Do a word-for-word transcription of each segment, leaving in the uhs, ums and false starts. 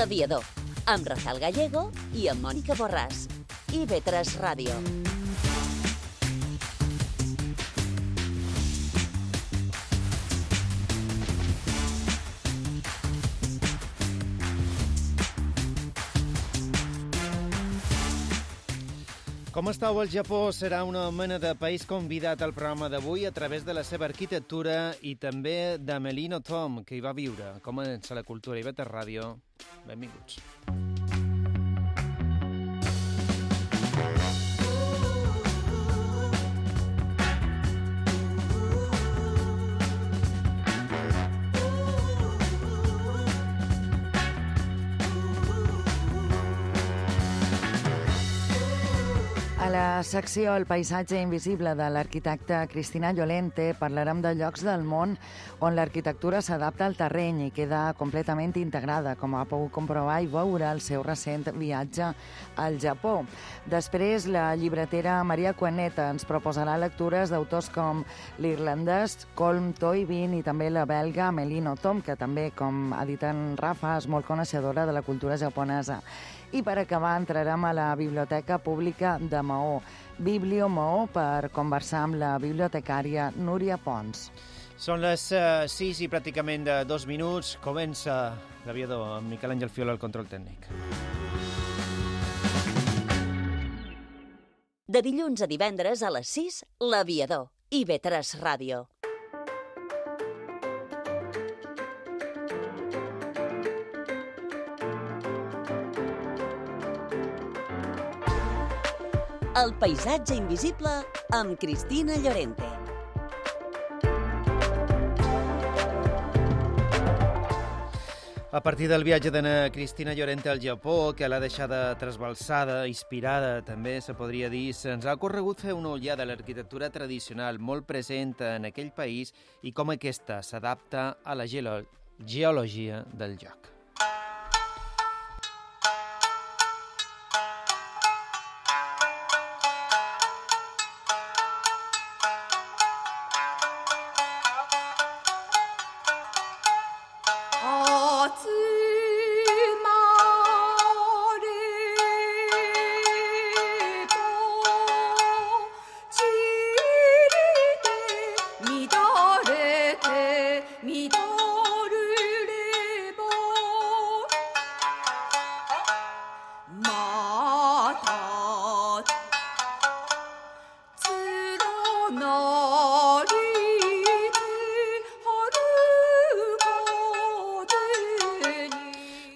L'Aviador, amb Rafael Gallego i amb Mònica Borràs. I ve tres Ràdio. Com estàu? El Japó serà una mena de país convidat al programa d'avui a través de la seva arquitectura i també de Melino Tom, que hi va viure. Comença la cultura i ve tres Ràdio. Benvinguts. A la secció El paisatge invisible de l'arquitecte Cristina Llorente parlarem de llocs del món on l'arquitectura s'adapta al terreny i queda completament integrada, com ha pogut comprovar i veure el seu recent viatge al Japó. Després, la llibretera Maria Cuaneta ens proposarà lectures d'autors com l'irlandès Colm Toibin i també la belga Melino Tom, que també, com ha dit en Rafa, és molt coneixedora de la cultura japonesa. I per acabar entrarem a la Biblioteca Pública de Maó, Biblio Maó, per conversar amb la bibliotecària Núria Pons. Són les uh, sis i pràcticament de dos minuts. Comença l'Aviador amb Miquel Àngel Fiola al control tècnic. De dilluns a divendres a les sis, l'Aviador. I ve tres Ràdio. El paisatge invisible amb Cristina Llorente. A partir del viatge de Cristina Llorente al Japó, que l'ha deixada trasbalsada, inspirada, també se podria dir, se'ns ha ocorregut fer una ullada a l'arquitectura tradicional molt present en aquell país i com aquesta s'adapta a la geolo- geologia del lloc.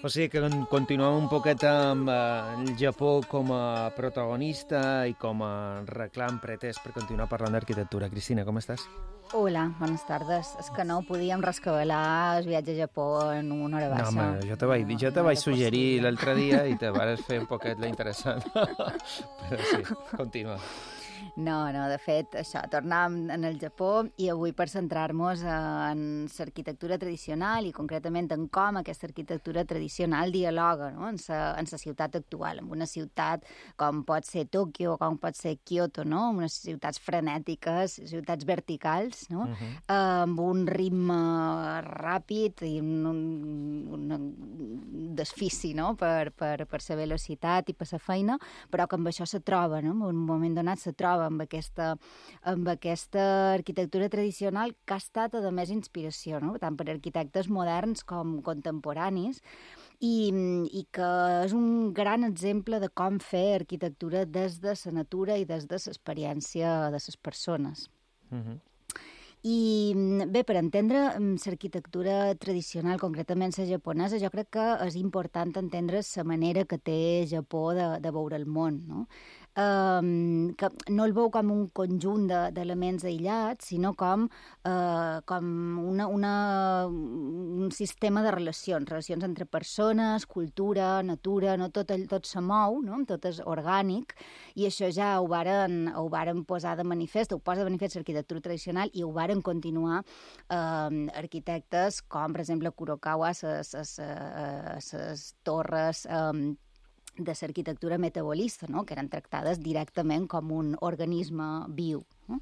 O sigui que continuem un poquet amb eh, el Japó com a protagonista i com a reclam pretès per continuar parlant d'arquitectura. Cristina, com estàs? Hola, bones tardes. És que no podíem rescabalar el viatge a Japó en una hora baixa. No, home, jo te vaig, jo te vaig suggerir l'altre dia i te vas fer un poquet la interessant. Però sí, continua. No, no, de fet, això, tornàvem en el Japó i avui per centrar-nos en l'arquitectura tradicional i concretament en com aquesta arquitectura tradicional dialoga, no?, en la ciutat actual, en una ciutat com pot ser Tòquio o com pot ser Kyoto, no?, unes ciutats frenètiques, ciutats verticals, no?, uh-huh. eh, amb un ritme ràpid i un, un, un desfici, no?, per, per, per la velocitat i per la feina, però que amb això se troba, no?, en un moment donat se troba amb aquesta, amb aquesta arquitectura tradicional que ha estat, a més, inspiració, no?, tant per arquitectes moderns com contemporanis, i, i que és un gran exemple de com fer arquitectura des de la natura i des de l'experiència de les persones. Uh-huh. I bé, per entendre l'arquitectura tradicional, concretament la japonesa, jo crec que és important entendre la manera que té Japó de, de veure el món, no? Um, que no el veu com un conjunt d'elements de, aïllats, sinó com, uh, com una, una, un sistema de relacions, relacions entre persones, cultura, natura, no? tot, tot se mou, no? Tot és orgànic, i això ja ho varen, ho varen posar de manifest, ho posa de manifest l'arquitectura tradicional i ho varen continuar uh, arquitectes com, per exemple, Kurokawa, les torres um, de l'arquitectura metabolista, no?, que eren tractades directament com un organisme viu. No?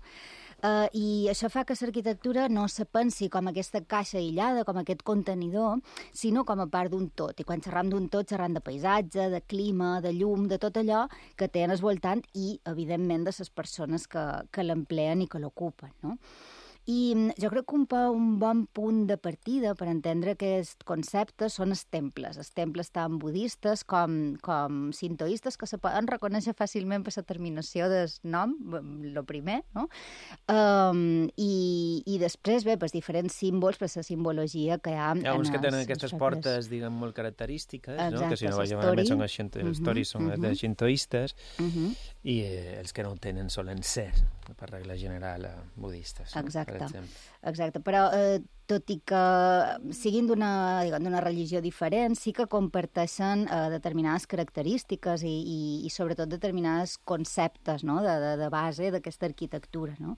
Uh, I això fa que l'arquitectura no se pensi com aquesta caixa aïllada, com aquest contenidor, sinó com a part d'un tot. I quan xerram d'un tot, xerram de paisatge, de clima, de llum, de tot allò que té en el voltant i, evidentment, de les persones que, que l'empleen i que l'ocupen, no? I jo crec que un, un bon punt de partida per entendre aquest concepte són els temples, els temples tant budistes com, com sintoistes, que se poden reconèixer fàcilment per la terminació del nom, el primer, no? Um, i, I després, bé, per diferents símbols, per la simbologia que hi ha... Hi ha uns que tenen aquestes portes, diguem, molt característiques, exacte, no? Que si no vaig malament són els uh -huh, són uh -huh. de xintoistes, uh -huh. i eh, els que no ho tenen solen ser, per regla general, budistes. Exacte. No? Exacte, però eh, tot i que siguin d'una d'una religió diferent, sí que comparteixen eh, determinades característiques i, i, i sobretot determinats conceptes, no? de, de, de base d'aquesta arquitectura. No?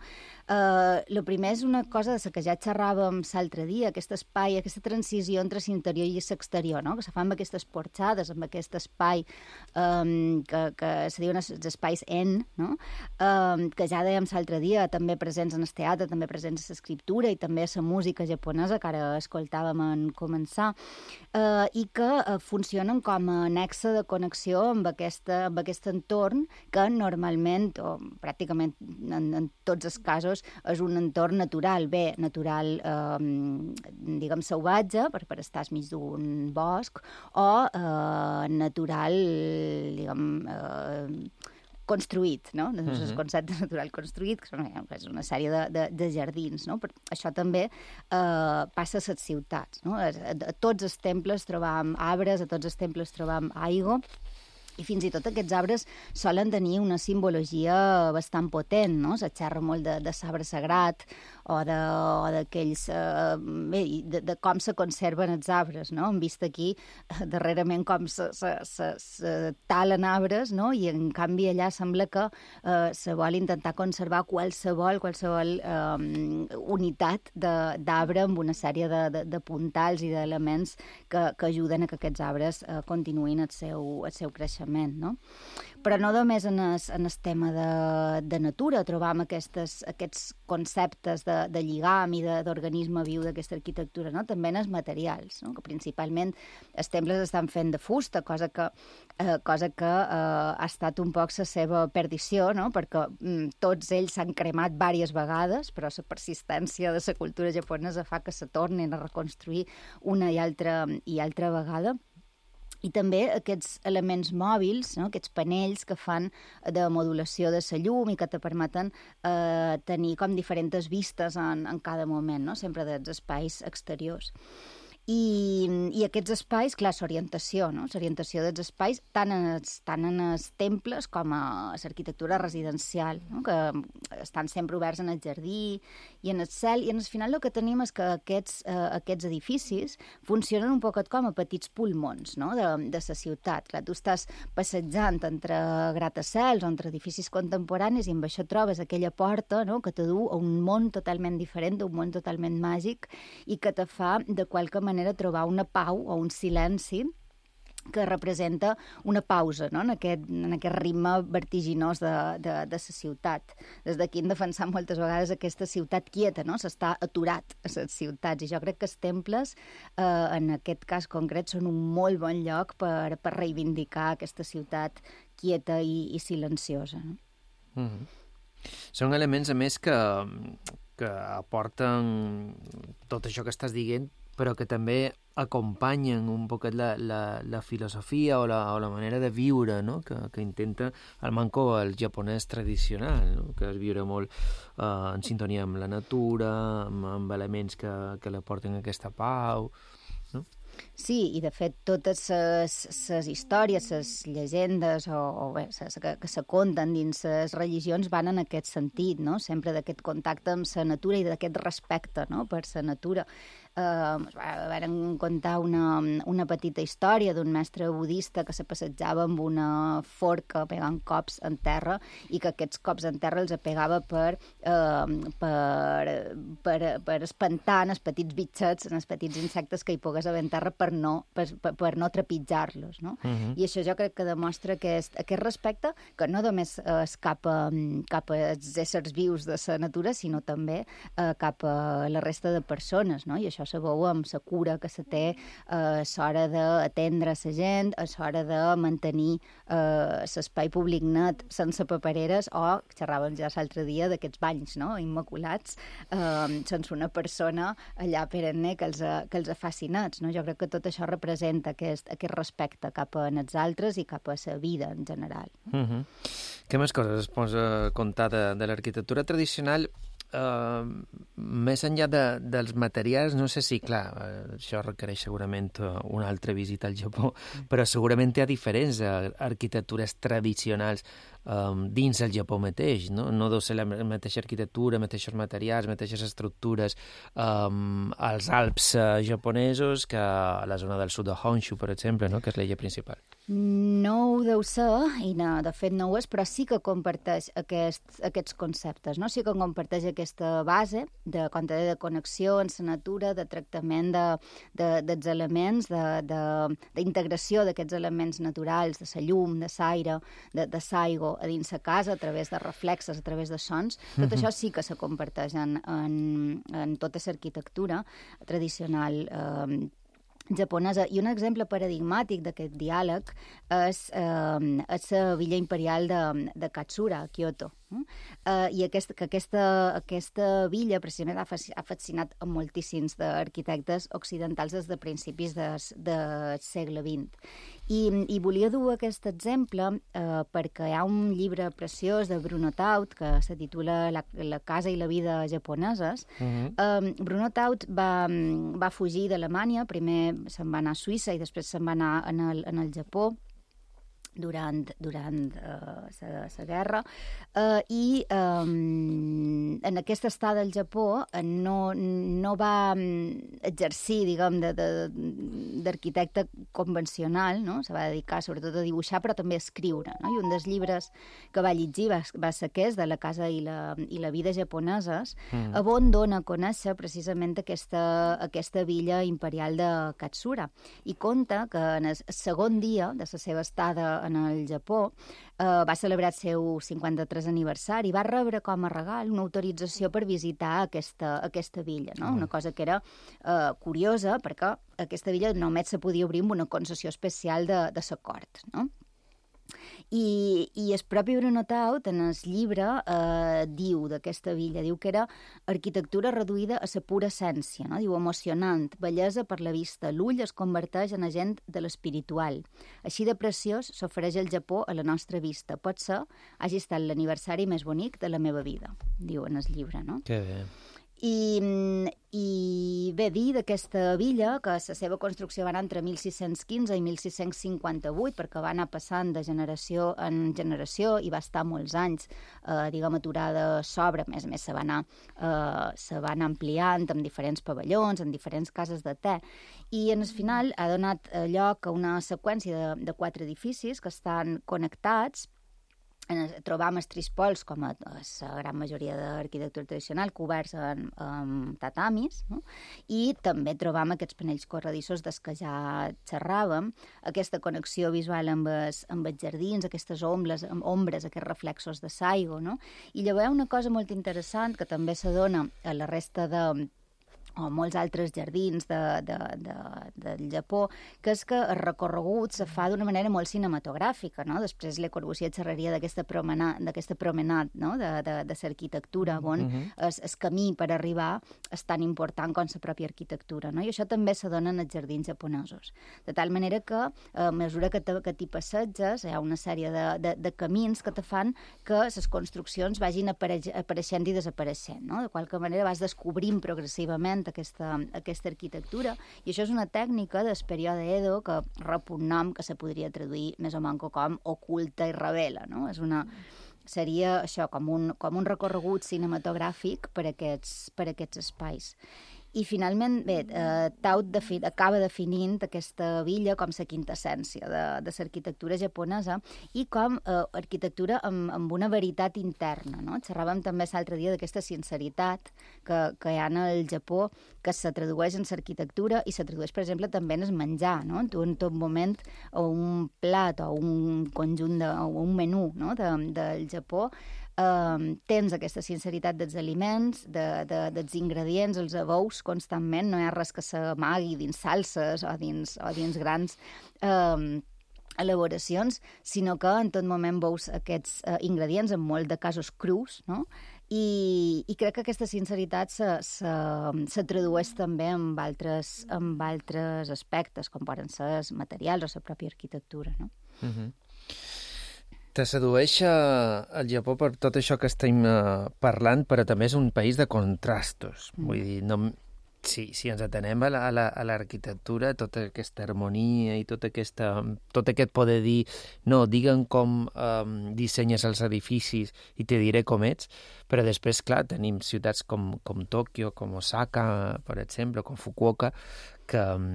Eh, lo primer és una cosa de la que ja xerràvem l'altre dia, aquest espai, aquesta transició entre l'interior i l'exterior, no? Que se fa amb aquestes porxades, amb aquest espai eh, que, que se diuen els espais en, no? eh, que ja dèiem l'altre dia, també presents en el teatre, també presents a l'escriptura i també a la música japonesa, que ara escoltàvem en començar, eh, i que eh, funcionen com a nexe de connexió amb, aquesta, amb aquest entorn que normalment, o pràcticament en, en tots els casos, és un entorn natural, bé, natural, eh, diguem, salvatge, per, per estar mig d'un bosc, o eh, natural, diguem, eh, construït, no? Uh -huh. El concepte natural construït, que és una sèrie de, de, de jardins, no? Però això també eh, passa a les ciutats, no? A, a tots els temples trobam arbres, a tots els temples trobam aigua, i fins i tot aquests arbres solen tenir una simbologia bastant potent, no? Se xerra molt de, de sabre sagrat o d'aquells... Eh, bé, de, de com se conserven els arbres, no? Hem vist aquí eh, darrerament com se, se, se, se talen arbres, no? I en canvi allà sembla que eh, se vol intentar conservar qualsevol, qualsevol eh, unitat d'arbre amb una sèrie de, de, de puntals i d'elements que, que ajuden a que aquests arbres eh, continuïn el seu, el seu creixement. No? Però no només en el, en el tema de, de natura trobam aquestes, aquests conceptes de, de lligam i d'organisme viu d'aquesta arquitectura, no? També en els materials, no? Que principalment els temples estan fent de fusta, cosa que, eh, cosa que eh, ha estat un poc la seva perdició, no? Perquè mm, tots ells s'han cremat diverses vegades, però la persistència de la cultura japonesa fa que se tornin a reconstruir una i altra, i altra vegada. I també aquests elements mòbils, no? Aquests panells que fan de modulació de la llum i que te permeten eh, tenir com diferents vistes en, en cada moment, no? Sempre dels espais exteriors. I, i aquests espais, clar, l'orientació, no? L'orientació dels espais tant en els, tant en els temples com a l'arquitectura residencial, no? Que estan sempre oberts en el jardí i en el cel, i en el final el que tenim és que aquests, eh, aquests edificis funcionen un poquet com a petits pulmons, no? de, de la ciutat. Clar, tu estàs passejant entre gratacels o entre edificis contemporanis i amb això trobes aquella porta, no? Que te du a un món totalment diferent, un món totalment màgic i que te fa de qualque manera trobar una pau o un silenci que representa una pausa, no? en, aquest, en aquest ritme vertiginós de, de, de la ciutat. Des d'aquí hem defensat moltes vegades aquesta ciutat quieta, no? S'està aturat a les ciutats, i jo crec que els temples, eh, en aquest cas concret, són un molt bon lloc per, per reivindicar aquesta ciutat quieta i, i silenciosa. No? Mm-hmm. Són elements, a més, que, que aporten tot això que estàs dient, però que també acompanyen un poquet la, la, la filosofia o la, o la manera de viure, no? que, que intenta el manco el japonès tradicional, no? Que és viure molt uh, en sintonia amb la natura, amb, amb elements que, que la porten aquesta pau, no? Sí, i de fet totes les històries, les llegendes o, o bé, ses, que, que se conten dins les religions van en aquest sentit, no? Sempre d'aquest contacte amb la natura i d'aquest respecte, no? Per la natura. Uh, vam contar una, una petita història d'un mestre budista que se passejava amb una forca pegant cops en terra i que aquests cops en terra els pegava per, uh, per, per, per espantar els petits bitxets, els petits insectes que hi pogués haver en terra terra per no, per, per no trepitjar-los, no? Uh-huh. I això jo crec que demostra aquest, aquest respecte, que no només és cap a, cap als éssers vius de la natura, sinó també eh, cap a la resta de persones, no? I això se veu amb la cura que se té a l'hora d'atendre la gent, a l'hora de mantenir eh, l'espai públic net sense papereres, o xerràvem ja l'altre dia d'aquests banys, no?, immaculats, eh, sense una persona allà perenne que els, que els faci nets, no? Jo crec que tot això representa aquest, aquest respecte cap a els altres i cap a la vida en general. Uh-huh. Què més coses es posa a contar de, de l'arquitectura tradicional? Uh, més enllà de, dels materials, no sé si, clar, uh, això requereix segurament una altra visita al Japó, però segurament hi ha diferents uh, arquitectures tradicionals um, dins el Japó mateix, no? No deu ser la mateixa arquitectura, mateixos materials, mateixes estructures um, als Alps uh, japonesos que a la zona del sud de Honshu, per exemple, no? Que és l'illa principal. No ho deu ser, i no, de fet no ho és, però sí que comparteix aquest, aquests conceptes, no? Sí que comparteix aquesta base de, com te deia, de connexió en la natura, de tractament de, de, dels elements, d'integració d'aquests elements naturals, de la llum, de l'aire, de, de l'aigua a dins la casa, a través de reflexes, a través de sons. Tot això sí que se comparteix en, en, en tota l'arquitectura tradicional eh, japonesa. I un exemple paradigmàtic d'aquest diàleg és, eh, és la villa imperial de, de Katsura, a Kyoto. Uh, I aquest, que aquesta, aquesta villa precisament ha, ha fascinat a moltíssims d'arquitectes occidentals des de principis del de segle vint. I, I volia dur aquest exemple uh, perquè hi ha un llibre preciós de Bruno Taut que se titula La, la casa i la vida japoneses. Uh-huh. uh, Bruno Taut va, va fugir d'Alemanya, primer se'n va anar a Suïssa i després se'n va anar en el, en el Japó durant, durant la uh, guerra, uh, i um, en aquesta estada al Japó uh, no, no va exercir, diguem, d'arquitecte convencional, no? Se va dedicar sobretot a dibuixar, però també a escriure, no? I un dels llibres que va llegir va, va ser aquest, de la casa i la, i la vida japoneses, mm. on dona a conèixer precisament aquesta, aquesta villa imperial de Katsura. I conta que en el segon dia de la seva estada en el Japó, eh, va celebrar el seu cinquanta-tres aniversari i va rebre com a regal una autorització per visitar aquesta, aquesta villa, no? Una cosa que era eh, curiosa, perquè aquesta villa només se podia obrir amb una concessió especial de, de la cort, no? I, i el propi Bruno Taut, en el llibre, eh, diu d'aquesta villa, diu que era arquitectura reduïda a la pura essència, no? Diu emocionant, bellesa per la vista, l'ull es converteix en agent de l'espiritual. Així de preciós s'ofereix el Japó a la nostra vista. Pot ser, hagi estat l'aniversari més bonic de la meva vida, diu en el llibre, no? Que bé. I, i bé, dir d'aquesta villa que la seva construcció va anar entre mil sis-cents quinze i mil sis-cents cinquanta-vuit, perquè va anar passant de generació en generació i va estar molts anys, eh, diguem, aturada sobre, a més a més se va anar, eh, se va anar ampliant amb diferents pavellons, en diferents cases de te, i en el final ha donat lloc a una seqüència de, de quatre edificis que estan connectats. Trobam els trispols, com a la gran majoria d'arquitectura tradicional, coberts en, en tatamis, no? I també trobam aquests panells corredissos dels que ja xerràvem, aquesta connexió visual amb els, amb els jardins, aquestes ombres, amb ombres, aquests reflexos de l'aigua, no? I llavors hi ha una cosa molt interessant que també se dona a la resta de o molts altres jardins de, de, de, del Japó, que és que el recorregut se fa d'una manera molt cinematogràfica, no? Després Le Corbusier xerraria d'aquesta promenat, d'aquesta promenat, no? de, de, de l'arquitectura, on uh-huh. el, el camí per arribar és tan important com la pròpia arquitectura, no? I això també se dona en els jardins japonesos. De tal manera que, a mesura que, te, que t'hi passeges, hi ha una sèrie de, de, de camins que te fan que les construccions vagin apareix, apareixent i desapareixent, no? De qualque manera vas descobrint progressivament Aquesta, aquesta arquitectura, i això és una tècnica del període Edo que rep un nom que se podria traduir més o menys com oculta i revela, no? És una, seria això, com un, com un recorregut cinematogràfic per aquests, per aquests espais. I finalment, bé, eh, Tao defi acaba definint aquesta villa com la quintessència de, de l'arquitectura japonesa i com eh, arquitectura amb, amb una veritat interna, no? Xerràvem també l'altre dia d'aquesta sinceritat que, que hi ha en el Japó, que se tradueix en l'arquitectura i se tradueix, per exemple, també en el menjar, no? Tu en tot moment o un plat o un conjunt de, o un menú, no? de, del Japó Uh, tens aquesta sinceritat dels aliments, de, de, dels ingredients, els abous constantment, no hi ha res que s'amagui dins salses o dins, o dins grans uh, elaboracions, sinó que en tot moment veus aquests uh, ingredients, en molt de casos crus, no? I, i crec que aquesta sinceritat se, se, se tradueix també amb altres, amb altres aspectes, com poden ser els materials o la pròpia arquitectura, no? Mm-hmm. Te sedueix el Japó per tot això que estem uh, parlant, però també és un país de contrastos. Mm. Vull dir, no, si, si ens atenem a l'arquitectura, tota aquesta harmonia i tota aquesta, tot aquest poder dir no, digue'm com um, dissenyes els edificis i te diré com ets, però després, clar, tenim ciutats com, com Tòquio, com Osaka, per exemple, com Fukuoka, que um,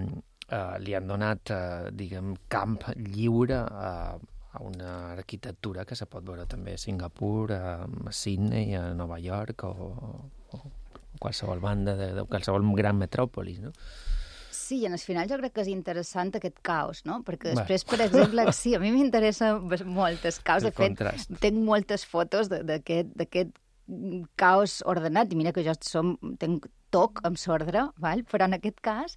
uh, li han donat, uh, diguem, camp lliure a uh, a una arquitectura que se pot veure també a Singapur, a Sydney, a Nova York o, o qualsevol banda de, de qualsevol gran metròpolis, no? Sí, i en el final jo crec que és interessant aquest caos, no? Perquè després, per exemple, sí, a mi m'interessa molt el caos. De fet, tinc moltes fotos d'aquest caos ordenat, i mira que jo som, tenc toc amb l'ordre, però en aquest cas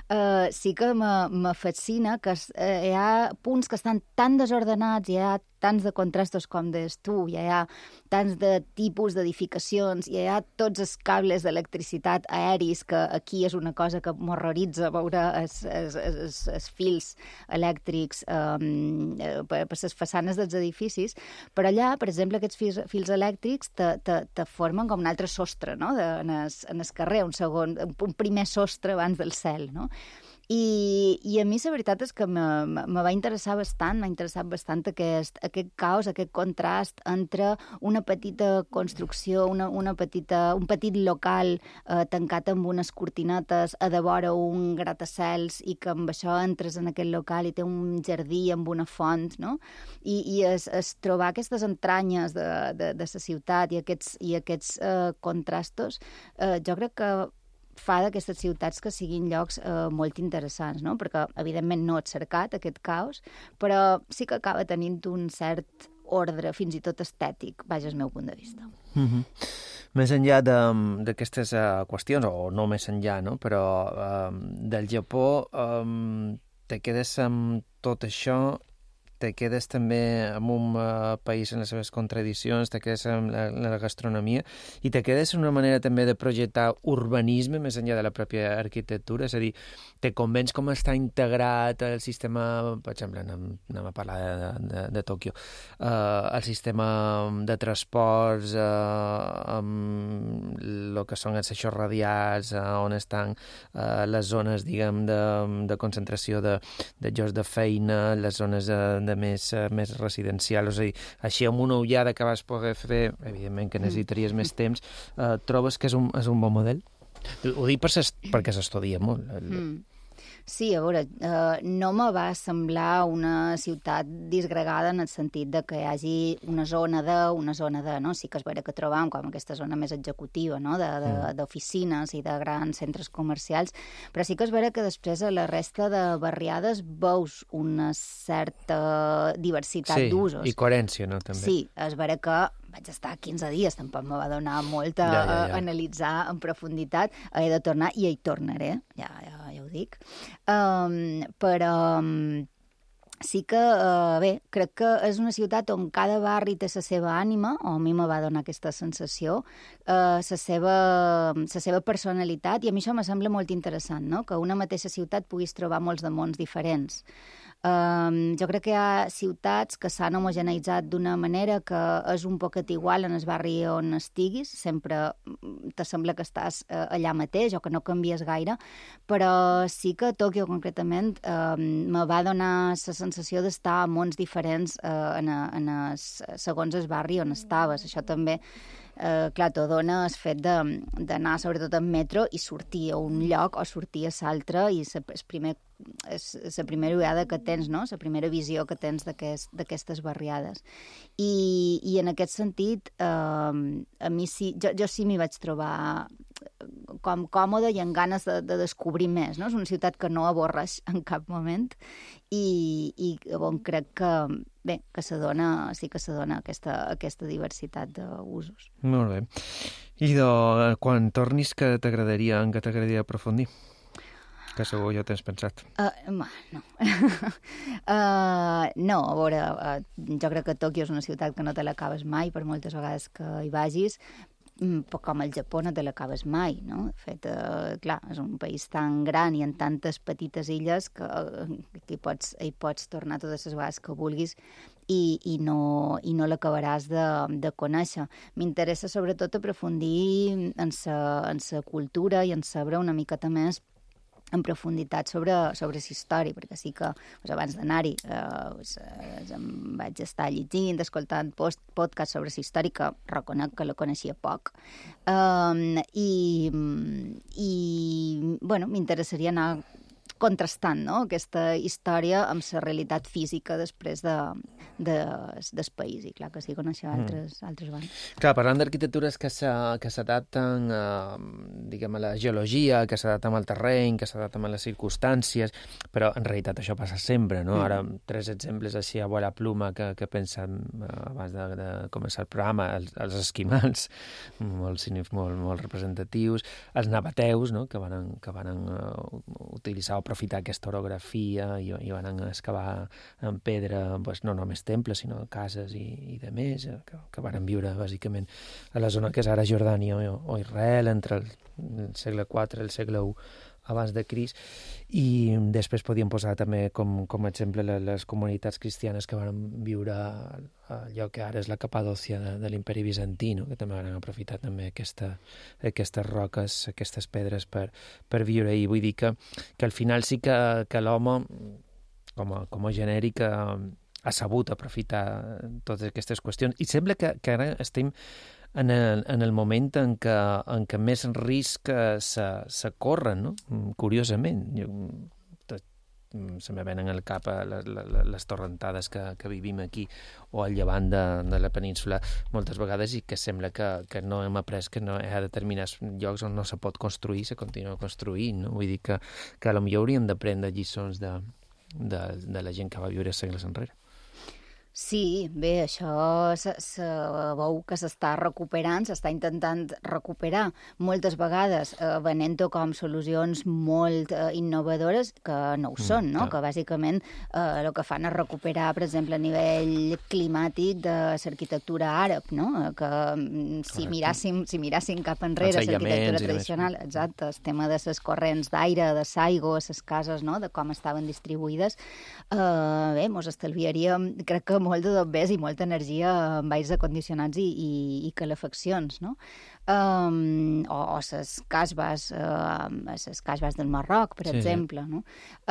eh, sí que me fascina que eh, hi ha punts que estan tan desordenats, hi ha tants de contrastos com deies tu, hi ha tants de tipus d'edificacions, hi ha tots els cables d'electricitat aeris, que aquí és una cosa que m'horroritza veure els, els, els, els fils elèctrics eh, per, per les façanes dels edificis, però allà, per exemple, aquests fils, fils elèctrics te, te, te formen com un altre sostre, no? de, en, el, en el carrer, un segon, un primer sostre abans del cel, no? I, i a mi la veritat és que me, me va interessar bastant, m'ha interessat bastant aquest, aquest caos, aquest contrast entre una petita construcció, una, una petita, un petit local eh, tancat amb unes cortinetes, a de vora un gratacels, i que amb això entres en aquest local i té un jardí amb una font, no? I, i es, es trobar aquestes entranyes de, de, de la ciutat i aquests, i aquests eh, contrastos, eh, jo crec que fa d'aquestes ciutats que siguin llocs eh, molt interessants, no? Perquè, evidentment, no et cercat aquest caos, però sí que acaba tenint un cert ordre, fins i tot estètic, vaja, el meu punt de vista. Mm-hmm. Més enllà d'aquestes uh, qüestions, o no més enllà, no? Però uh, del Japó um, te quedes amb tot això, te quedes també en un uh, país en les seves contradiccions, te quedes en la, en la gastronomia i te quedes en una manera també de projectar urbanisme més enllà de la pròpia arquitectura, és a dir, te convenç com està integrat el sistema, per exemple, anem, anem a parlar de, de, de Tòquio, uh, el sistema de transports, uh, amb el que són els eixos radials, uh, on estan uh, les zones, diguem, de, de concentració de, de llocs de feina, les zones de de més, uh, més residencial, és a dir, així amb una ullada que vas poder fer, evidentment que necessitaries mm. més temps, uh, trobes que és un, és un bon model? Ho dic per ses, perquè s'estudia molt. El... Mm. Sí, a veure, eh, no me va semblar una ciutat disgregada en el sentit de que hi hagi una zona de, una zona de, no? Sí que és vera que trobam com aquesta zona més executiva, no? D'oficines i de grans centres comercials, però sí que és vera que després a la resta de barriades veus una certa diversitat sí, d'usos. Sí, i coherència, no? També. Sí, és vera que vaig estar quinze dies, tampoc me va donar molt a, ja, ja, ja. a analitzar en profunditat, he de tornar i hi tornaré, ja, ja, ja ho dic. Um, però um, sí que, uh, bé, crec que és una ciutat on cada barri té la seva ànima, o a mi me va donar aquesta sensació, la uh, seva, la seva personalitat, i a mi això me sembla molt interessant, no? Que una mateixa ciutat puguis trobar molts de mons diferents. Um, jo crec que hi ha ciutats que s'han homogeneitzat d'una manera que és un poquet igual en el barri on estiguis, sempre te sembla que estàs uh, allà mateix o que no canvies gaire, però sí que a Tòquio concretament um, me va donar la sensació d'estar a mons diferents uh, en a, en a, segons el barri on estaves. Això també eh, clar, t'ho dona el fet d'anar sobretot en metro i sortir a un lloc o sortir a l'altre i el primer és la primera vegada que tens, no? La primera visió que tens d'aquestes aquest, barriades. I, I en aquest sentit, eh, a mi sí, jo, jo sí m'hi vaig trobar com còmode i amb ganes de, de descobrir més, no? És una ciutat que no avorreix en cap moment i, i on crec que, bé, que se dona, sí que se dona aquesta, aquesta diversitat d'usos. Molt bé. I de, quan tornis, què t'agradaria, en què t'agradaria aprofundir? Que segur ja tens pensat. Uh, no. uh, no, a veure, uh, jo crec que Tòquio és una ciutat que no te l'acabes mai, per moltes vegades que hi vagis, però com el Japó no te l'acabes mai, no? De fet, uh, clar, és un país tan gran i en tantes petites illes que, que hi, pots, hi pots tornar totes les vegades que vulguis i, i no, i no l'acabaràs de, de conèixer. M'interessa sobretot aprofundir en sa, en sa cultura i en saber una miqueta més en profunditat sobre, sobre la història, perquè sí que doncs, abans d'anar-hi eh, doncs, em vaig estar llegint, escoltant post, podcast sobre la història, que reconec que la coneixia poc. Um, i, i bueno, m'interessaria anar contrastant, no?, aquesta història amb la realitat física després de, de, del país. I clar que sí, coneixer altres, mm. altres bandes. Clar, parlant d'arquitectures que s'adapten a, diguem, a la geologia, que s'adapten al terreny, que s'adapten a les circumstàncies, però en realitat això passa sempre, no? Mm. Ara, tres exemples així a bola pluma que, que pensem abans de, de començar el programa, els, els esquimals, molt, molt, molt representatius, els nabateus, no?, que van, que van uh, utilitzar o aprofitar aquesta orografia i, i van excavar en pedra pues, no només temples, sinó cases i, i de més, que, que van viure bàsicament a la zona que és ara Jordània o, o Israel, entre el, el segle quatre i el segle u abans de Crist, i després podíem posar també com, com a exemple les comunitats cristianes que van viure a allò que ara és la Capadòcia de, de l'imperi bizantí, no?, que també van aprofitar també aquesta, aquestes roques, aquestes pedres per, per viure. I vull dir que, que al final sí que, que l'home, com a, com a genèric, ha sabut aprofitar totes aquestes qüestions. I sembla que, que ara estem en el, en el moment en què, en què més risc se, se corren, no? Curiosament. Jo, tot, se me venen al cap les, les torrentades que, que vivim aquí o al llevant de, de la península moltes vegades, i que sembla que, que no hem après que no hi ha determinats llocs on no se pot construir, se continua construint, no? Vull dir que, que potser hauríem d'aprendre lliçons de, de, de la gent que va viure segles enrere. Sí, bé, això se, se veu que s'està recuperant, s'està intentant recuperar moltes vegades eh, venent-ho com solucions molt eh, innovadores que no ho són, no? Mm, que bàsicament eh, el que fan és recuperar, per exemple, a nivell climàtic de l'arquitectura àrab, no? Que si miràssim, si miràssim cap enrere l'arquitectura tradicional, exacte, el tema de les corrents d'aire, de l'aigua, les cases, no?, de com estaven distribuïdes, eh, bé, mos estalviaríem, crec que molt de dobbers i molta energia amb aires acondicionats i, i, i calefaccions, no? Um, o, o les casbes, uh, les casbes del Marroc, per sí, exemple, no?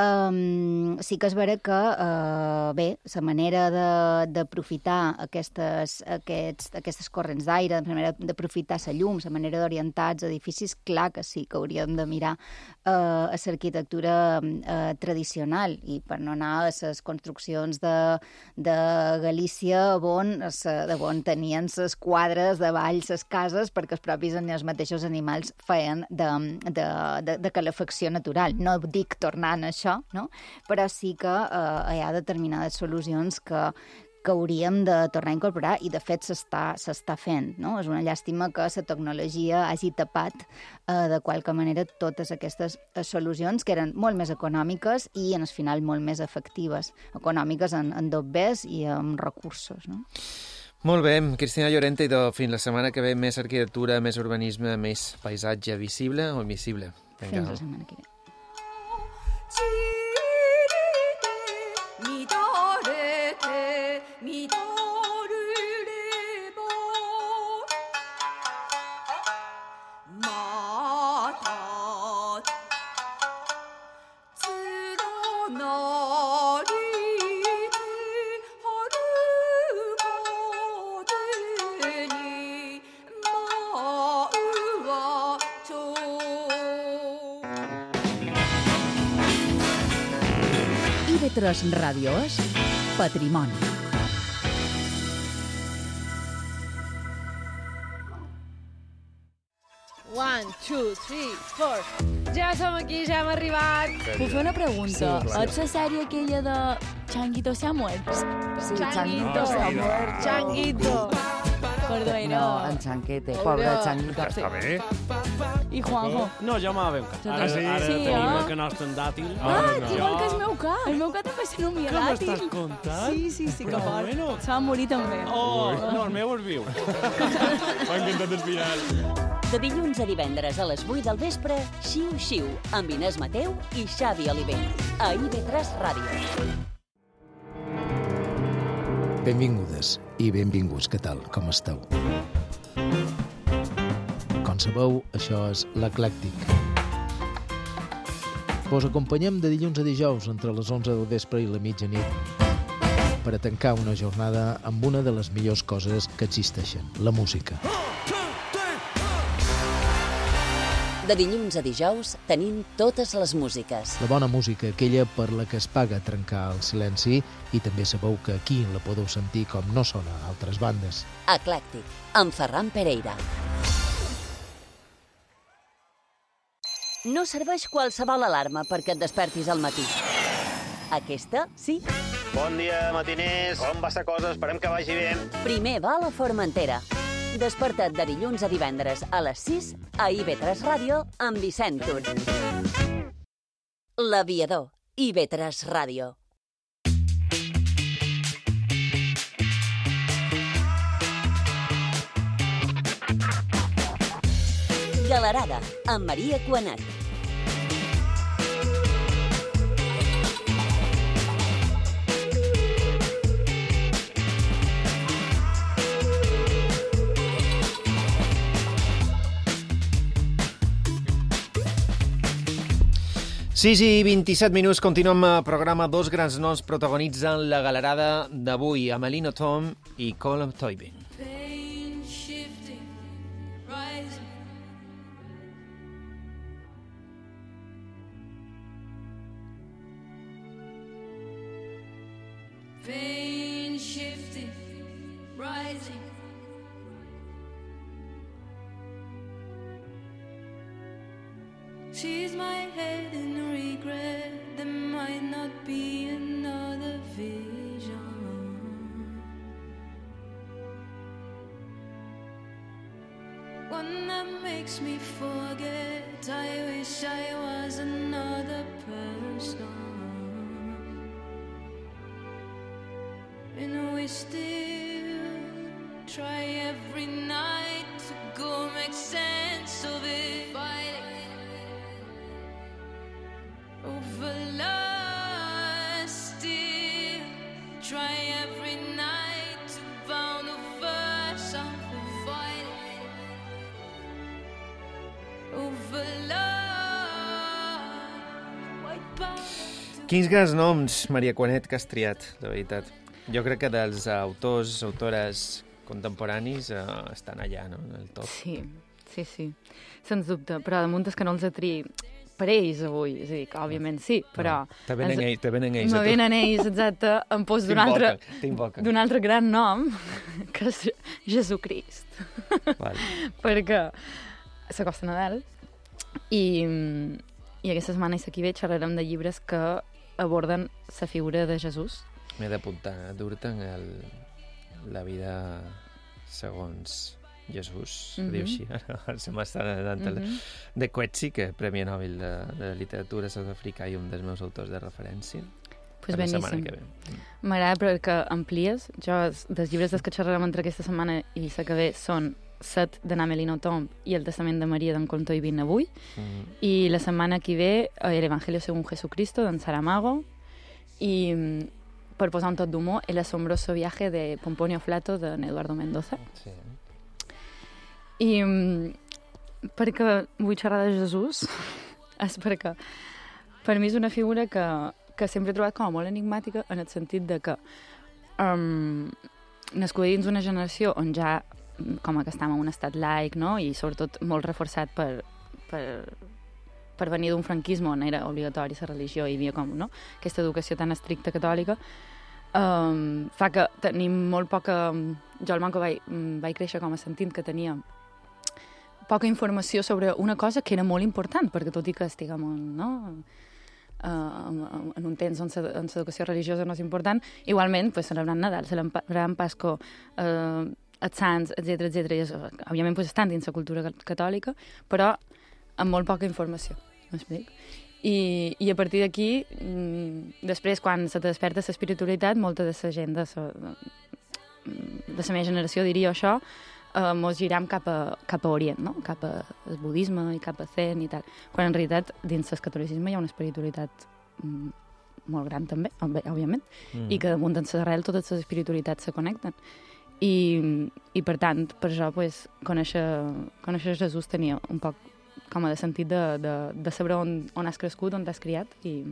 Um, sí que és vera que, uh, bé, la manera d'aprofitar aquestes, aquests, aquestes corrents d'aire, la manera d'aprofitar la llum, la manera d'orientar els edificis, clar que sí que hauríem de mirar uh, a l'arquitectura uh, tradicional, i per no anar a les construccions de, de Galícia, on, de on tenien les quadres de valls, les cases, perquè els propis els mateixos animals feien de, de, de, de calefacció natural. No dic tornant a això, no? Però sí que eh, hi ha determinades solucions que, que hauríem de tornar a incorporar, i de fet s'està fent, no? És una llàstima que la tecnologia hagi tapat eh, de qualque manera totes aquestes solucions que eren molt més econòmiques i en el final molt més efectives, econòmiques en, en dobbers i en recursos, no? Molt bé, Cristina Llorente, i fins la setmana que ve més arquitectura, més urbanisme, més paisatge visible o invisible. Vinga. Fins la setmana que ve. I V tres Ràdio és Patrimoni. One, two, three, four. Ja som aquí, ja hem arribat. Puc fer una pregunta? Sí, Ets la sèrie aquella de Changuito se ha muerto? Sí, Changuito. Changuito se ha muerto. Changuito. Perdó, era... No, en Chanquete, pobre Changuito. Està bé. I Juanjo. No, ja m'ha ben cat. Ara sí, Ara sí, tenim eh? el canal tan dàtil. Ah, no. igual que el meu ca. El meu ca també se nomia Què dàtil. m'estàs contant? Sí, sí, sí, que Però fort. bueno. Se va morir també. Oh, no, el meu és viu. M'ha encantat el final. De dilluns a divendres a les vuit del vespre, Xiu Xiu, amb Inés Mateu i Xavi Oliver. A I V tres Ràdio. Benvingudes i benvinguts, què tal, com esteu? Com sabeu, això és l'Eclèctic. Vos acompanyem de dilluns a dijous entre les onze del vespre i la mitjanit per a tancar una jornada amb una de les millors coses que existeixen, la música. De dilluns a dijous tenim totes les músiques. La bona música, aquella per la que es paga trencar el silenci, i també sabeu que aquí la podeu sentir com no sona a altres bandes. Eclèctic, amb Ferran Pereira. No serveix qualsevol alarma perquè et despertis al matí. Aquesta, sí. Bon dia, matiners. Com va la cosa? Esperem que vagi bé. Primer va a la Formentera. Desperta't de dilluns a divendres a les sis a I V tres Ràdio amb Vicent Tur. L'Aviador, I V tres Ràdio. Galerada, amb Maria Cuanat. sis i vint-i-set minuts, continuem el programa. Dos grans noms protagonitzen la galerada d'avui, Amelino Tom i Colm Toibin. Pain shifting, rising. She's my head in regret. There might not be another vision. One that makes me forget. I wish I was another person. And we still try every night to go make sense of it. Fighting over love, still try every night to bound over something. Fighting over love. White power. Quins grans noms, Maria Cuanet, que has triat, de veritat. Jo crec que dels autors, autores contemporanis eh, estan allà, no?, en el top. Sí, sí, sí, sens dubte, però damunt és que no els atri per ells avui, és a dir, que òbviament sí, però... No, te venen ells, te venen ells. Me venen ells, exacte, em pos d'un altre, d'un altre gran nom, que és Jesucrist. Vale. Perquè s'acosta Nadal i, i aquesta setmana i aquí ve xerrarem de llibres que aborden la figura de Jesús. M'he d'apuntar, dur-te'n el... la vida segons Jesús, mm-hmm. diu així, ara se m'està anant mm-hmm. de Coetzee, que és Premi Nobel de, de Literatura sud-africà i un dels meus autors de referència. Pues beníssim. M'agrada perquè amplies. Jo, dels llibres dels que xerrarem entre aquesta setmana i la que ve són Set de Amelino Tom i El Testament de Maria d'en Colm Toibin avui. Mm-hmm. I la setmana que ve El Evangelio según Jesucristo d'en Saramago i, per posar un tot d'humor, El asombroso viaje de Pomponio Flato d'en Eduardo Mendoza. Sí. I perquè vull xerrar de Jesús és perquè per mi és una figura que, que sempre he trobat com a molt enigmàtica en el sentit de que um, nascuda dins una generació on ja com que estem en un estat laic, no?, i sobretot molt reforçat per, per per venir d'un franquisme on era obligatori la religió, hi havia com, no?, aquesta educació tan estricta catòlica, um, fa que tenim molt poca... Jo al Manco vaig, vaig créixer com a sentint que tenia poca informació sobre una cosa que era molt important, perquè tot i que estiguem en, no, uh, en un temps on l'educació religiosa no és important, igualment, pues, celebrant Nadal, celebrant Pasco, uh, els Sants, etcètera, etcètera, i és, òbviament pues, estan dins la cultura catòlica, però amb molt poca informació, m'explico? I, i a partir d'aquí, després, quan se te desperta l'espiritualitat, molta de la gent de la, de la meva generació diria això, Uh, mos giram cap a, cap a Orient, no? Cap al budisme i cap a Zen i tal. Quan en realitat dins el catolicisme hi ha una espiritualitat mm, molt gran també, òbviament, mm. i que damunt en l'arrel totes les espiritualitats se connecten. I, i per tant, per això, pues, conèixer, conèixer Jesús tenia un poc com a de sentit de, de, de saber on, on has crescut, on t'has criat. I...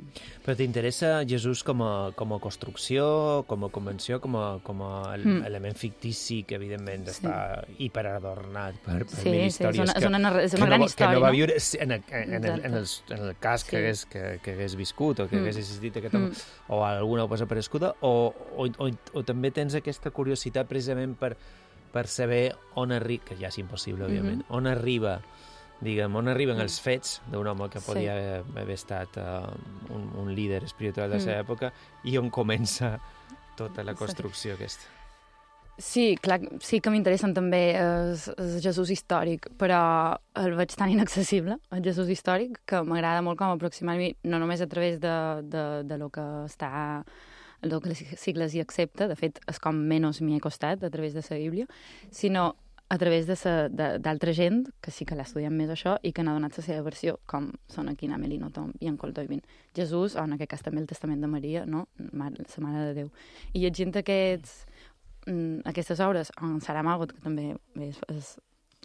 Però t'interessa Jesús com a, com a construcció, com a convenció, com a, com a mm. element fictici que, evidentment, sí. està hiperadornat per, per sí, mil sí, històries. És una, és una, és una que, gran no, història, que no va no? viure en, en, en, el, en, el, en el cas que, sí. hagués, que, que hagués viscut o que mm. hagués existit aquest home, mm. o alguna cosa apareguda, o, o, o, o també tens aquesta curiositat precisament per, per saber on arriba, que ja és impossible, òbviament, mm-hmm. on arriba diguem, on arriben els fets d'un home que podia sí. haver, haver estat uh, un, un líder espiritual de la seva mm. època i on comença tota la construcció aquesta. Sí, clar, sí que m'interessen també el, el Jesús històric, però el veig tan inaccessible, el Jesús històric, que m'agrada molt com aproximar-m'hi, no només a través de, de, de lo que està el que les sigles hi accepta, de fet és com menys m'hi he costat a través de la Bíblia, sinó a través d'altra gent que sí que l'ha estudiat més això i que n'ha donat la seva versió, com són aquí en Amelino Tom i en Coltoivin. Jesús, o en aquest cas també el Testament de Maria, no? La Mare de Déu. I llegint aquests, aquestes obres, en Saramago, que també és, és,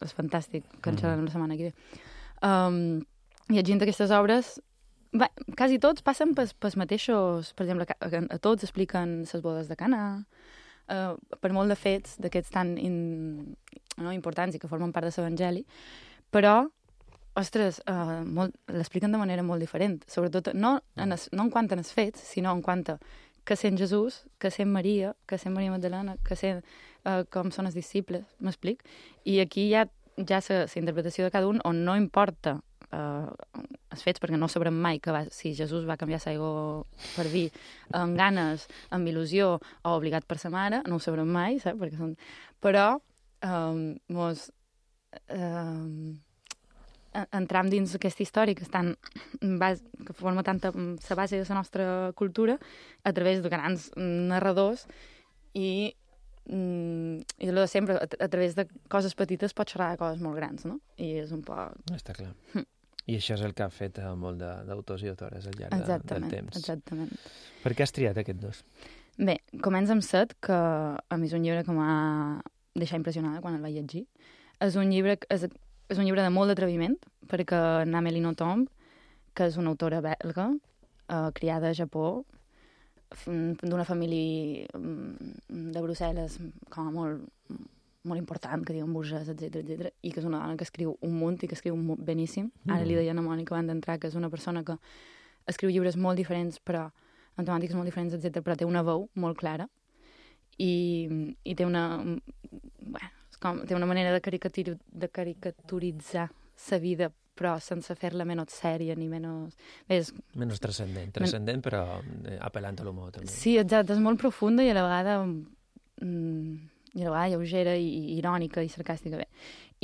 és fantàstic, que en xerrarem la setmana que ve, um, llegint aquestes obres, va, quasi tots passen pels, pels mateixos, per exemple, a, a tots expliquen les bodes de Cana, Uh, per molt de fets d'aquests tan in, no, importants i que formen part de l'Evangeli, però, ostres, uh, l'expliquen de manera molt diferent, sobretot no en, es, no en quant als fets, sinó en quant a que sent Jesús, que sent Maria, que sent Maria Magdalena, que sent uh, com són els disciples, m'explic? I aquí hi ha ja la interpretació de cada un on no importa uh, els fets, perquè no sabrem mai que va, si Jesús va canviar l'aigua per vi amb ganes, amb il·lusió o obligat per sa mare, no ho sabrem mai, saps? Perquè són... Però um, mos, um, entram dins aquesta història que, estan, que forma tanta la base de la nostra cultura a través de grans narradors i i allò de sempre, a, a través de coses petites pots xerrar de coses molt grans, no? I és un poc... Està clar. Hm. I això és el que ha fet molt d'autors i autores al llarg de, del temps. Exactament. Per què has triat aquests dos? Bé, comença amb Set, que a mi és un llibre que m'ha deixat impressionada quan el vaig llegir. És un llibre, és, és un llibre de molt d'atreviment, perquè Amélie Nothomb, que és una autora belga, eh, criada a Japó, d'una família de Brussel·les com a molt, molt important, que diuen burgès, etcètera, etcètera, i que és una dona que escriu un munt i que escriu un munt beníssim. Mm. Ara li deia a Mònica abans d'entrar que és una persona que escriu llibres molt diferents, però amb temàtiques molt diferents, etcètera, però té una veu molt clara i, i té una... Bueno, com, té una manera de, caricatur, de caricaturitzar la vida, però sense fer-la menys sèria ni menys... Ves, menys transcendent, transcendent men... però apel·lant a l'humor també. Sí, exacte, és molt profunda i a la vegada, mm, i a la vegada lleugera i, i irònica i sarcàstica. Bé.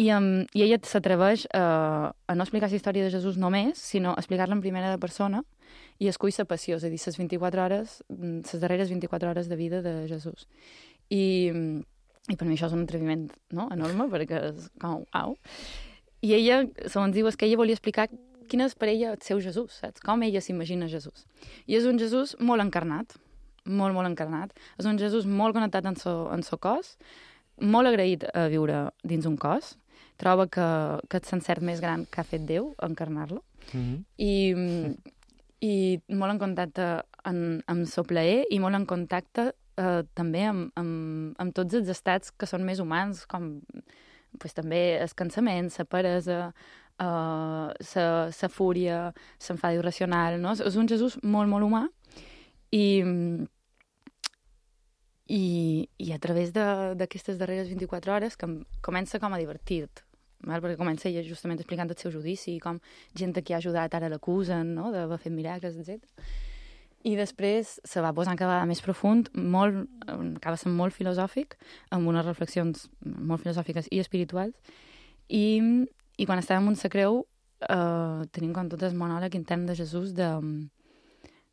I, um, I ella s'atreveix uh, a no explicar la història de Jesús només, sinó a explicar-la en primera de persona i escull la passió, és a dir, les vint-i-quatre hores, les darreres vint-i-quatre hores de vida de Jesús. I, i per mi això és un atreviment, no?, enorme, perquè és com, au. I ella, segons diu, és que ella volia explicar quin és per ella el seu Jesús, saps? Com ella s'imagina Jesús. I és un Jesús molt encarnat, molt, molt encarnat. És un Jesús molt connectat en so, en so cos, molt agraït a viure dins un cos, troba que, que és l'encert més gran que ha fet Déu, encarnar-lo, mm-hmm. i, i molt en contacte en, amb so plaer i molt en contacte eh, també amb, amb, amb tots els estats que són més humans, com... Pues, també el cansament, la peresa, uh, sa, sa fúria, s'enfada irracional, no? És un Jesús molt, molt humà i, i, i a través d'aquestes darreres vint-i-quatre hores que comença com a divertit, val? Perquè comença ella justament explicant el seu judici i com gent que ha ajudat ara l'acusen, no? D'haver fet miracles, etcètera. I després se va posant cada vegada més profund, molt, acaba sent molt filosòfic, amb unes reflexions molt filosòfiques i espirituals. I, i quan estava amunt la creu, eh, tenim com tot el monòleg intern de Jesús de,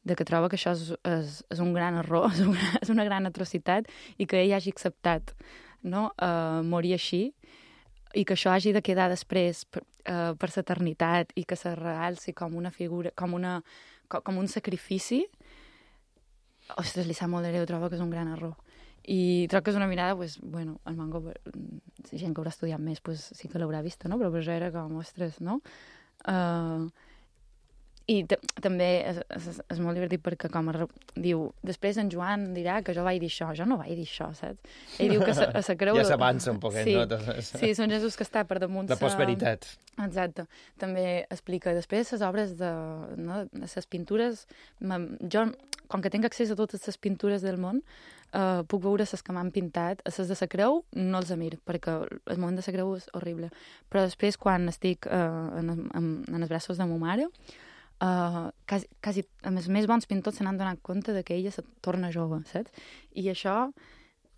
de que troba que això és, és, és un gran error, és una, és una gran atrocitat, i que ell hagi acceptat, no? eh, morir així, i que això hagi de quedar després per, uh, per l'eternitat i que se realci com una figura, com, una, com, com un sacrifici. Ostres, li sap molt de greu, trobo que és un gran error. I trobo que és una mirada, pues, bueno, el Mango, gent que haurà estudiat més, pues, sí que l'haurà vista, no? Però per això era com, ostres, no? Uh, I també és, és, és molt divertit perquè com a, diu, després en Joan dirà que jo vaig dir això, jo no vaig dir això, saps? Ell diu que a sa creu... Ja s'avança un poquet, sí, no? Sí, són Jesús que està per damunt... La postveritat. Exacte. També explica, després les obres de, no, de les pintures, jo, com que tinc accés a totes les pintures del món, uh, puc veure les que m'han pintat, a les de la creu no els amir, perquè el moment de la creu és horrible. Però després, quan estic uh, en, en, en els braços de ma mare, Uh, quasi, quasi, a més, més bons pintors se n'han donat compte de que ella se torna jove, saps? I això,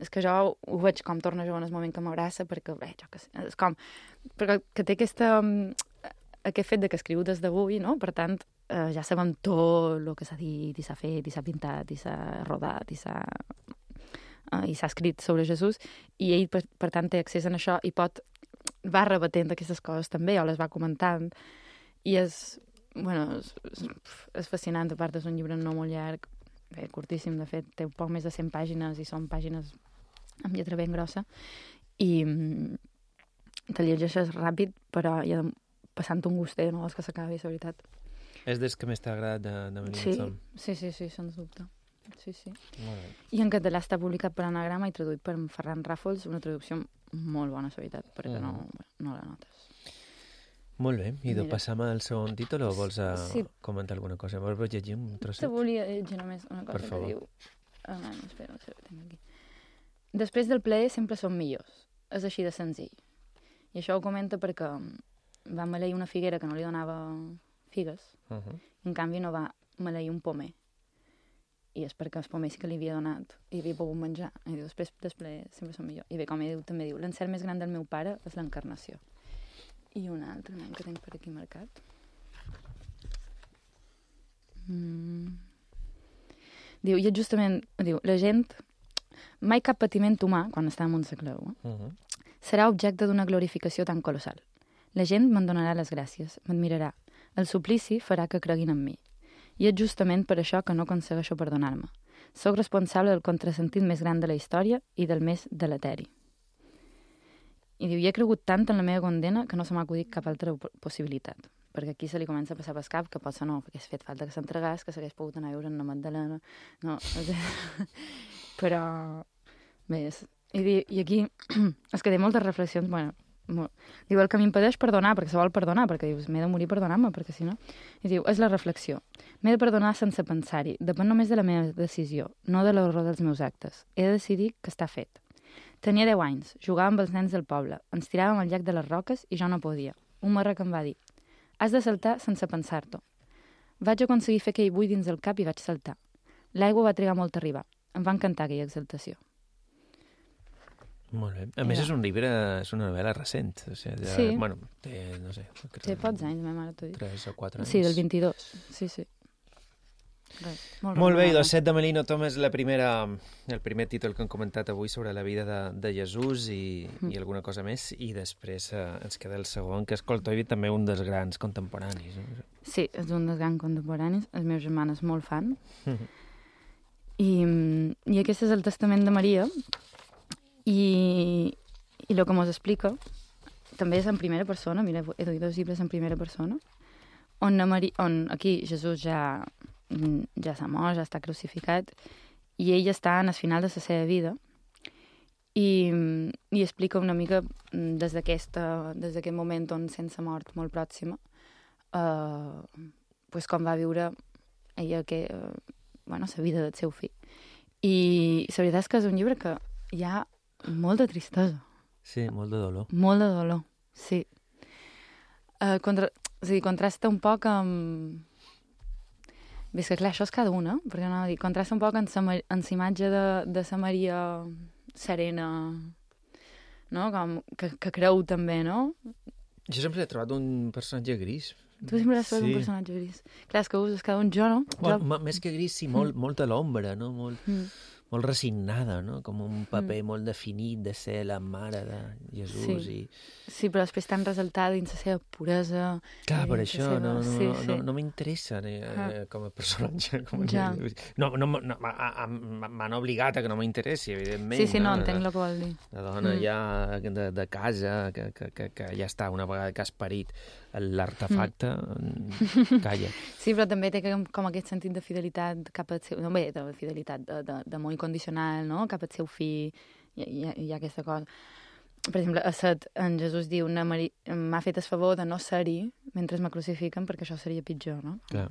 és que jo ho veig com torna jove en el moment que m'abraça, perquè, bé, jo que sé, és com, perquè que té aquesta, aquest fet de que escriu des d'avui, no? Per tant, uh, ja sabem tot el que s'ha dit, i s'ha fet, i s'ha pintat, i s'ha rodat, i s'ha uh, i s'ha escrit sobre Jesús, i ell, per, per tant, té accés a això, i pot, va rebatent aquestes coses també, o les va comentant, i és... Bueno, és, és fascinant, a part és un llibre no molt llarg, bé, curtíssim, de fet, té un poc més de cent pàgines i són pàgines amb lletra ben grossa, i te llegeixes ràpid, però ja passant un gustet, no vols que s'acabi, la veritat. És des que més t'ha agradat de, de Melina sí, Tom? Sí, sí, sí, sens dubte. Sí, sí. Molt bé. I en català està publicat per Anagrama i traduït per Ferran Ràfols, una traducció molt bona, la veritat, perquè mm. no, no la notes. Molt bé, i de passam al segon títol o vols a sí. comentar alguna cosa? Vols llegir un trosset? Te volia llegir només una cosa que diu... Ah, no, espera, espera, tinc aquí. Després del plaer sempre són millors. És així de senzill. I això ho comenta perquè va maleir una figuera que no li donava figues, uh -huh. i en canvi no va maleir un pomer. I és perquè els pomers que li havia donat i havia pogut menjar. I diu, després del plaer sempre són millors. I bé, com ell diu, també diu, l'encert més gran del meu pare és l'encarnació. I un altre nen que tinc per aquí marcat. Mm. Diu, i justament, diu, la gent, mai cap patiment humà, quan està amunt la creu, eh? uh -huh. serà objecte d'una glorificació tan colossal. La gent me'n donarà les gràcies, m'admirarà. El suplici farà que creguin en mi. I és justament per això que no aconsegueixo perdonar-me. Soc responsable del contrasentit més gran de la història i del més deleteri. I diu, i he cregut tant en la meva condena que no se m'ha acudit cap altra possibilitat. Perquè aquí se li comença a passar pel cap que potser no, perquè ha fet falta que s'entregàs, que s'hagués pogut anar a viure en la Magdalena. No, però... Bé, és, i, di, i aquí és que té moltes reflexions, bueno, molt, diu, el que m'impedeix perdonar, perquè se vol perdonar, perquè dius, m'he de morir perdonant-me, perquè si no... I diu, és la reflexió. M'he de perdonar sense pensar-hi, depèn només de la meva decisió, no de l'horror dels meus actes. He de decidir que està fet. Tenia deu anys, jugava amb els nens del poble, ens tiràvem al llac de les Roques i jo no podia. Un marrec em va dir, has de saltar sense pensar-t'ho. Vaig aconseguir fer aquell buit dins el cap i vaig saltar. L'aigua va trigar molt a arribar. Em va encantar aquella exaltació. Molt bé. A més, és un llibre, és una novel·la recent. O sigui, ja, sí. Bueno, té, no sé... Té pocs anys, ma mare t'ho dic. Tres o quatre anys. Sí, del vint-i-dos. Sí, sí. Res, molt molt bé, i Dos set de Melina Tom és la primera, el primer títol que hem comentat avui sobre la vida de, de Jesús i, mm. i alguna cosa més, i després eh, ens queda el segon, que és Coltoivi, també un dels grans contemporanis. No? Sí, és un dels grans contemporanis, els meus germans molt fan. Mm-hmm. I, I aquest és el Testament de Maria, i, i el que mos explica també és en primera persona, mira, he duit dos llibres en primera persona, on, Maria, on aquí Jesús ja... ja s'ha mort, ja està crucificat, i ell està en el final de la seva vida, i, i explica una mica des d'aquest moment on sense mort molt pròxima eh, pues com va viure ella que, eh, bueno, la vida del seu fill. I la veritat és que és un llibre que hi ha molta tristesa. Sí, molt de dolor. Molt de dolor, sí. Uh, contra... O sigui, contrasta un poc amb... Bé, és que clar, això és cada una, perquè no dir, contrasta un poc amb la imatge de, de la Maria serena, no? Com, que, que creu també, no? Jo sempre he trobat un personatge gris. Tu sempre has trobat sí. un personatge gris. Clar, és que uses cada un jo, no? Bueno, jo... Més que gris, sí, molt, mm. molt a l'ombra, no? Molt... Mm. molt resignada, no? Com un paper mm. molt definit de ser la mare de Jesús. Sí, i... sí però després tan resaltada dins la seva puresa. Clar, per això seva... no, no, sí, no, sí. no, no m'interessa eh, ah. com a personatge. Com a... Ja. No, no, no m'han obligat a que no m'interessi, evidentment. Sí, sí, no, no entenc el que vol dir. La dona mm. ja de, de casa, que, que, que, que ja està, una vegada que has parit l'artefacte, mm. calla. Sí, però també té com aquest sentit de fidelitat cap al seu... No, bé, de fidelitat, d'amor incondicional, no? Cap al seu fill, hi, hi, hi ha aquesta cosa. Per exemple, a Set, en Jesús diu Mari... m'ha fet el favor de no ser-hi mentre me crucifiquen perquè això seria pitjor, no? Clar.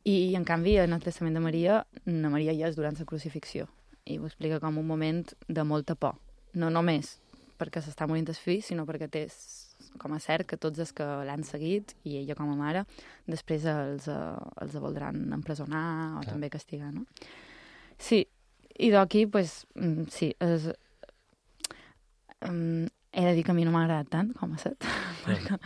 I, en canvi, en el testament de Maria, na Maria ja és durant la crucifixió. I ho explica com un moment de molta por. No només perquè s'està morint el fill, sinó perquè té com a cert que tots els que l'han seguit, i ella com a mare, després els, els voldran empresonar o Clar. També castigar, no? Sí, i d'aquí, pues, sí, és, um, he de dir que a mi no m'ha agradat tant com a Set, perquè,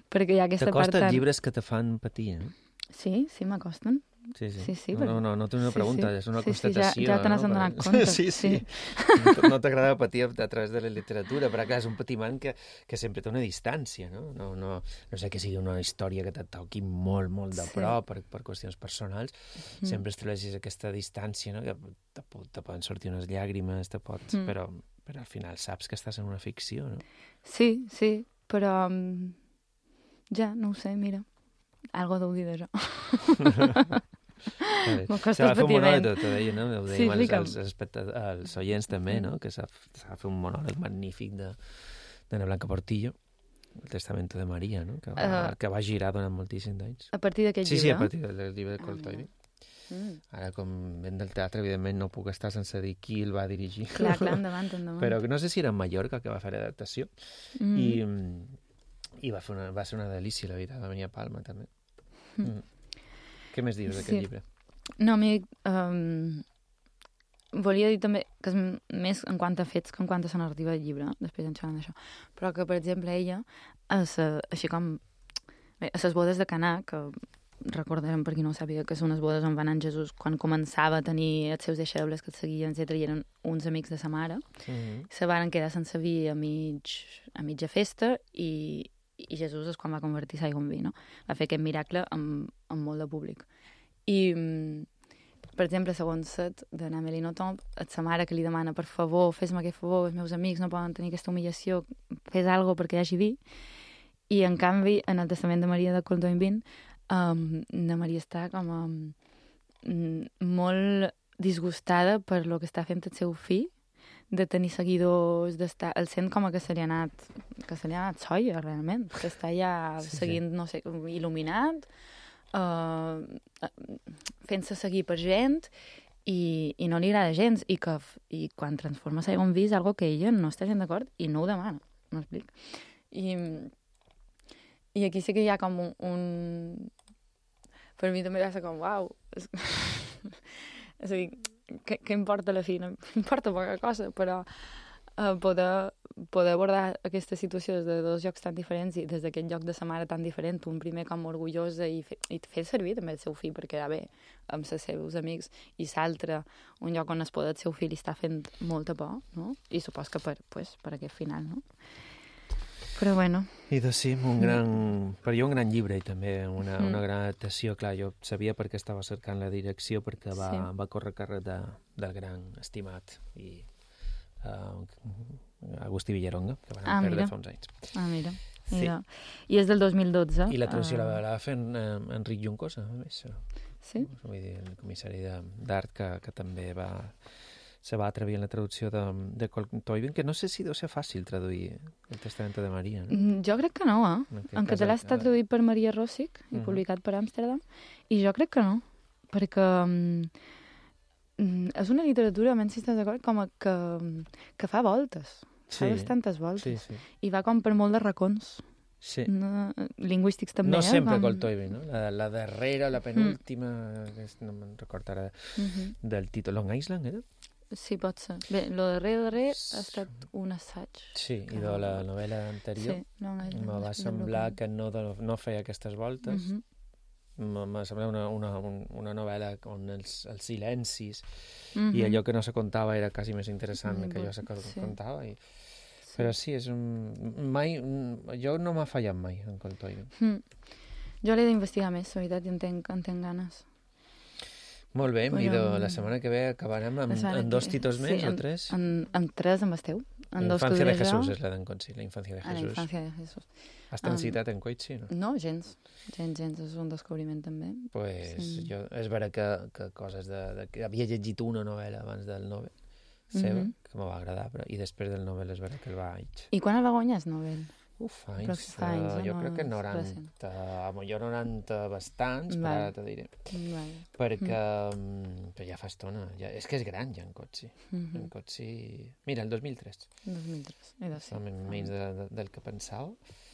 perquè hi ha aquesta part... T'acosten llibres que te fan patir, eh? Sí, sí, m'acosten. Sí, sí. sí, sí no, no, no, no té una pregunta, sí, sí. és una sí, constatació. Sí, ja, ja te n'has no? donat compte. Sí, sí. sí. No, no t'agrada patir a través de la literatura, però clar, és un patiment que, que sempre té una distància, no? No, no? no sé que sigui una història que te toqui molt, molt de prop sí. per, per qüestions personals, mm. sempre estableixis aquesta distància, no? Que te, te poden sortir unes llàgrimes, te pots... Mm. però, però al final saps que estàs en una ficció, no? Sí, sí, però ja, no ho sé, mira, algo deu dir d'això. S'ha de fer un monòleg, te deia, no? Ho dèiem sí, als, als, als, als oients també, no? Que s'ha de fer un monòleg magnífic de d'Anna Blanca Portillo, el Testamento de Maria, no? Que va, uh, que va girar durant moltíssims anys. A partir d'aquest sí, llibre? Sí, sí, a partir del llibre de Coltoiri. Ah, mm. Ara, com ven del teatre, evidentment no puc estar sense dir qui el va dirigir. Clar, clar, endavant, endavant. Però no sé si era en Mallorca que va fer l'adaptació. Mm. I, i va, fer una, va ser una delícia, la veritat, va venir a Palma, també. Mm. Mm. Què més dius d'aquest sí. llibre? No, a mi um, volia dir també que és més en quant a fets que en quant a la narrativa del llibre, després en xerrant d'això, però que, per exemple, ella, és, així com bé, a les bodes de Canà, que recordarem per qui no ho sàpiga, que són unes bodes on va anar Jesús quan començava a tenir els seus deixebles que el seguien, etcètera, i eren uns amics de sa mare, mm-hmm. se van quedar sense vi a, mig, a mitja festa i, i Jesús és quan va convertir l'aigua en vi, no? Va fer aquest miracle amb, amb molt de públic. I, per exemple, segons Set, de Amélie Nothomb, és sa mare que li demana, per favor, fes-me aquest favor, els meus amics no poden tenir aquesta humillació, fes alguna perquè hi hagi vi. I, en canvi, en el Testament de Maria de Colton vint, um, la Maria està com a, um, molt disgustada per lo que està fent el seu fill, de tenir seguidors, d'estar... El sent com que se li ha anat, que se li ha anat soia, realment, que està ja sí, seguint, sí. no sé, il·luminat, uh, fent-se seguir per gent, i, i no li agrada gens, i que i quan transforma l'aigua en vi és algo que ella no està gent d'acord i no ho demana, m'explic. I, I aquí sí que hi ha com un... un... Per mi també va ser com, uau, és, és a dir, què, què importa la fi? No importa poca cosa, però uh, poder, poder abordar aquesta situació des de dos llocs tan diferents i des d'aquest lloc de sa mare tan diferent, un primer com orgullosa i, fe, i fer servir també el seu fill perquè era bé amb els seus amics, i l'altre un lloc on es pot el seu fill i està fent molta por, no? I supos que per, pues, per aquest final, no? Però bueno... I doncs sí, un gran... Per jo un gran llibre i també una, mm. una gran adaptació. Clar, jo sabia perquè estava cercant la direcció, perquè va, sí. va córrer càrrec de, del gran estimat i uh, Agustí Villaronga, que van ah, perdre mira. fa uns anys. Ah, mira. mira. Sí. I és del dos mil dotze. I la traducció uh... la, la va fer en, en Enric Juncosa, a més. Sí? Vull dir, el comissari d'art que, que també va... se va atrevir en la traducció de, de Coltoivin, que no sé si deu ser fàcil traduir el Testamento de Maria. No? Jo crec que no, eh? En, en català està traduït per Maria Rossig i uh -huh. publicat per Amsterdam, i jo crec que no, perquè um, és una literatura, menys si estàs d'acord, com a que, que fa voltes, sí, fa bastantes voltes, sí, sí. I va com per molt de racons. Sí. No, lingüístics també, no eh? sempre Com... Coltoivin, no? La, la darrera, la penúltima, mm. no me'n recordo ara uh -huh. del títol. Long Island, era? Sí, pot ser. Bé, lo darrer, darrer ha estat un assaig. Sí, que... i de la novel·la anterior sí, me va semblar que no, no feia aquestes voltes. Uh -huh. M'ha semblat una, una, una novel·la on els, els silencis uh -huh. i allò que no se contava era quasi més interessant uh -huh. que allò que se sí. contava. I... Sí. Però sí, és un... mai... jo no m'ha fallat mai en Coltoivin. Mm. Jo l'he d'investigar més, la veritat, i en tenc, en tenc ganes. Molt bé, Però... Mido, la setmana que ve acabarem amb, amb dos títols més sí, o tres? En, en tres amb esteu. En la Infància de Jesús és la d'en Conchi, la Infància de Jesús. Ah, la Infància de Jesús. Has transitat um, en Coitxi, no? No, gens. Gens, gens, és un descobriment també. Pues sí. jo, és vera que, que coses de, de... que havia llegit una novel·la abans del Nobel seva, mm -hmm. que m'ho va agradar, però, i després del Nobel és vera que el vaig... I quan el va guanyar el Nobel? Uf, anys, fa anys uh, jo no, crec que noranta, jo noranta bastants, vale. Però ara te diré. Vale. Perquè mm. però ja fa estona, ja, és que és gran ja en Cotsi. Mm -hmm. En Cotsi... Mira, el dos mil tres. dos mil tres, i dos, sí. Menys de, de, del que pensava.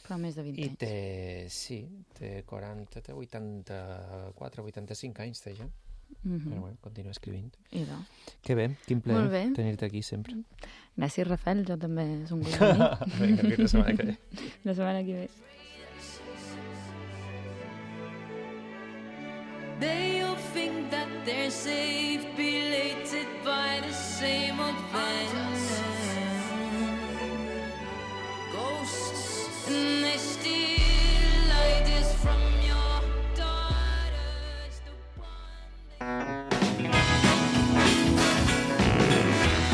Però més de vint I anys. I té, sí, té quaranta, té vuitanta-quatre, vuitanta-cinc anys, té ja. Mm -hmm. Però bueno, continua escrivint. I no. Que bé, quin plaer tenir-te aquí sempre. Gràcies, Rafael, jo també és un gust de mi. Vinga, fins la setmana que ve. La setmana que ve. They'll think that they're safe, belated by the same old fence. Ghosts, and they steal ideas from your daughters.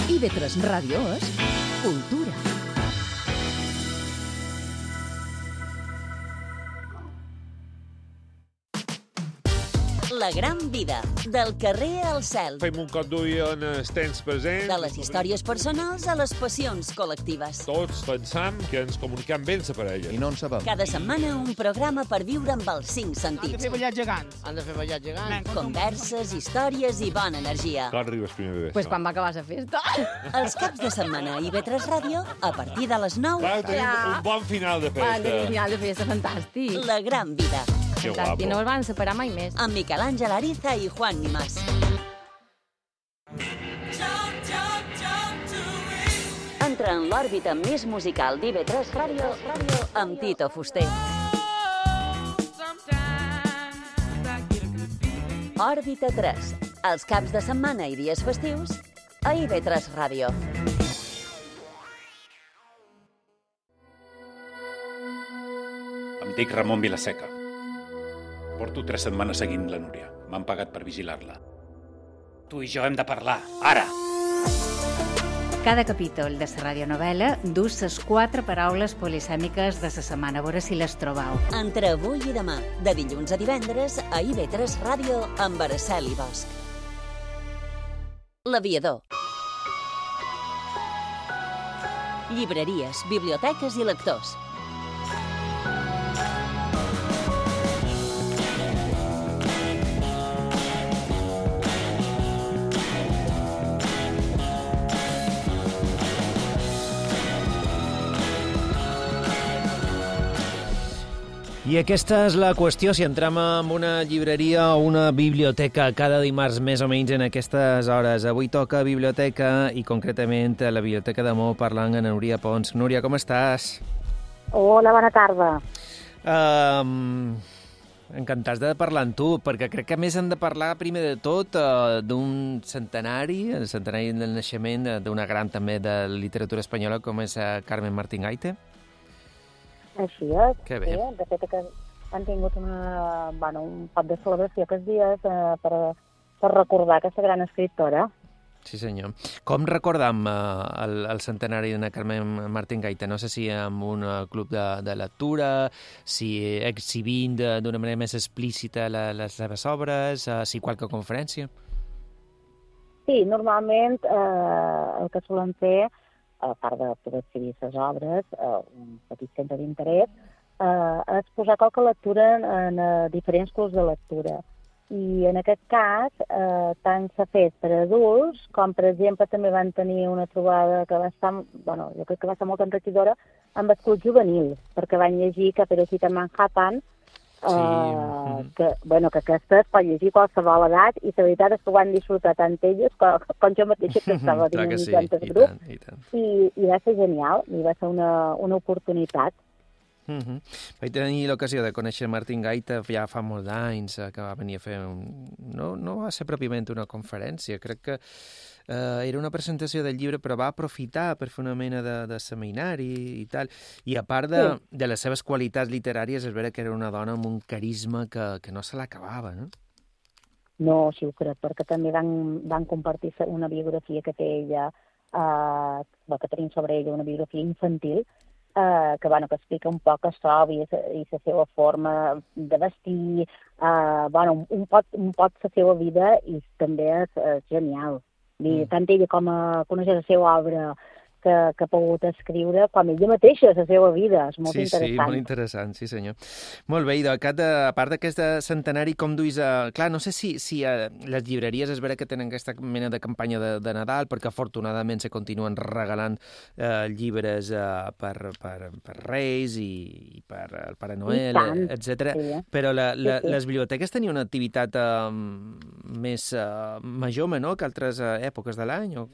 I ve tres Ràdio és Cultura. La gran vida, del carrer al cel. Fem un cop d'ull en els temps presents. De les històries personals a les passions col·lectives. Tots pensam que ens comuniquem bé amb la parella. I no en sabem. Cada setmana un programa per viure amb els cinc sentits. Han de fer ballar gegants. Han de fer ballar gegants. Converses, històries i bona energia. Quan arribes primer de Pues quan va acabar la festa. Els caps de setmana a I V tres Ràdio, a partir de les nou. Clar, tenim ja. un bon final de festa. Un final de festa fantàstic. La gran vida. Que guapo. I no els van separar mai més. Amb Miquel Àngel Ariza i Juan Nimás. Entra en l'òrbita més musical d'I V tres Ràdio amb Tito Fuster. Òrbita tres. Els caps de setmana i dies festius a I V tres Ràdio. Em dic Ramon Vilaseca. Porto tres setmanes seguint la Núria. M'han pagat per vigilar-la. Tu i jo hem de parlar, ara! Cada capítol de la radionovel·la dus les quatre paraules polisèmiques de la setmana. A veure si les trobau. Entre avui i demà, de dilluns a divendres, a I V tres Ràdio amb Araceli Bosch. L'aviador. Llibreries, biblioteques i lectors. I aquesta és la qüestió, si entrem en una llibreria o una biblioteca cada dimarts més o menys en aquestes hores. Avui toca biblioteca i concretament a la Biblioteca d'Amor parlant amb Núria Pons. Núria, com estàs? Hola, bona tarda. Um, encantats de parlar amb tu, perquè crec que a més hem de parlar primer de tot uh, d'un centenari, el centenari del naixement d'una gran també de literatura espanyola com és uh, Carmen Martín Gaite. Així és. Que bé. Sí, de fet, que han tingut una, bueno, un pot de celebració aquests dies eh, per, per recordar aquesta gran escriptora. Sí, senyor. Com recordam eh, el, el centenari de Carmen Martín Gaite? No sé si amb un club de, de lectura, si exhibint d'una manera més explícita la, les seves obres, eh, si qualque conferència. Sí, normalment eh, el que solen fer, a part de poder escriure les obres, eh, un petit centre d'interès, eh, és posar qualque lectura en, en uh, diferents clubs de lectura. I en aquest cas, eh, tant s'ha fet per adults, com per exemple també van tenir una trobada que va estar, bueno, jo crec que va ser molt enriquidora, amb els clubs juvenils, perquè van llegir Caperucita en Manhattan, eh, sí. que, bueno, que aquesta es pot llegir qualsevol edat, i la veritat és que ho van disfrutar tant elles com, com jo mateixa, que estava dinamitzant sí, el grup, i, tant, i, i, i va ser genial, i va ser una, una oportunitat. Uh -huh. Vaig tenir l'ocasió de conèixer Martín Gaita ja fa molts anys, que va venir a fer un... No, no va ser pròpiament una conferència, crec que eh, era una presentació del llibre, però va aprofitar per fer una mena de, de seminari i tal. I a part de, sí. de les seves qualitats literàries, és vera que era una dona amb un carisma que, que no se l'acabava, no? No, sí ho crec, perquè també van, van compartir una biografia que té ella, eh, que tenim sobre ella, una biografia infantil, Uh, que, bueno, que explica un poc això i, i la seva forma de vestir, uh, bueno, un pot, un pot la seva vida i també és, és genial. Mm. Tant ella com a conèixer la seva obra que, que ha pogut escriure, com ella mateixa, la seva vida. És molt sí, interessant. Sí, molt interessant, sí senyor. Molt bé, i de, a part d'aquest centenari, com duis a... Clar, no sé si, si a les llibreries és vera que tenen aquesta mena de campanya de, de Nadal, perquè afortunadament se continuen regalant eh, llibres eh, per, per, per Reis i, i per el Pare Noel, etcètera. Sí, eh? Però la, la, sí, sí. les biblioteques tenien una activitat eh, més eh, major o menor que altres eh, èpoques de l'any, o...?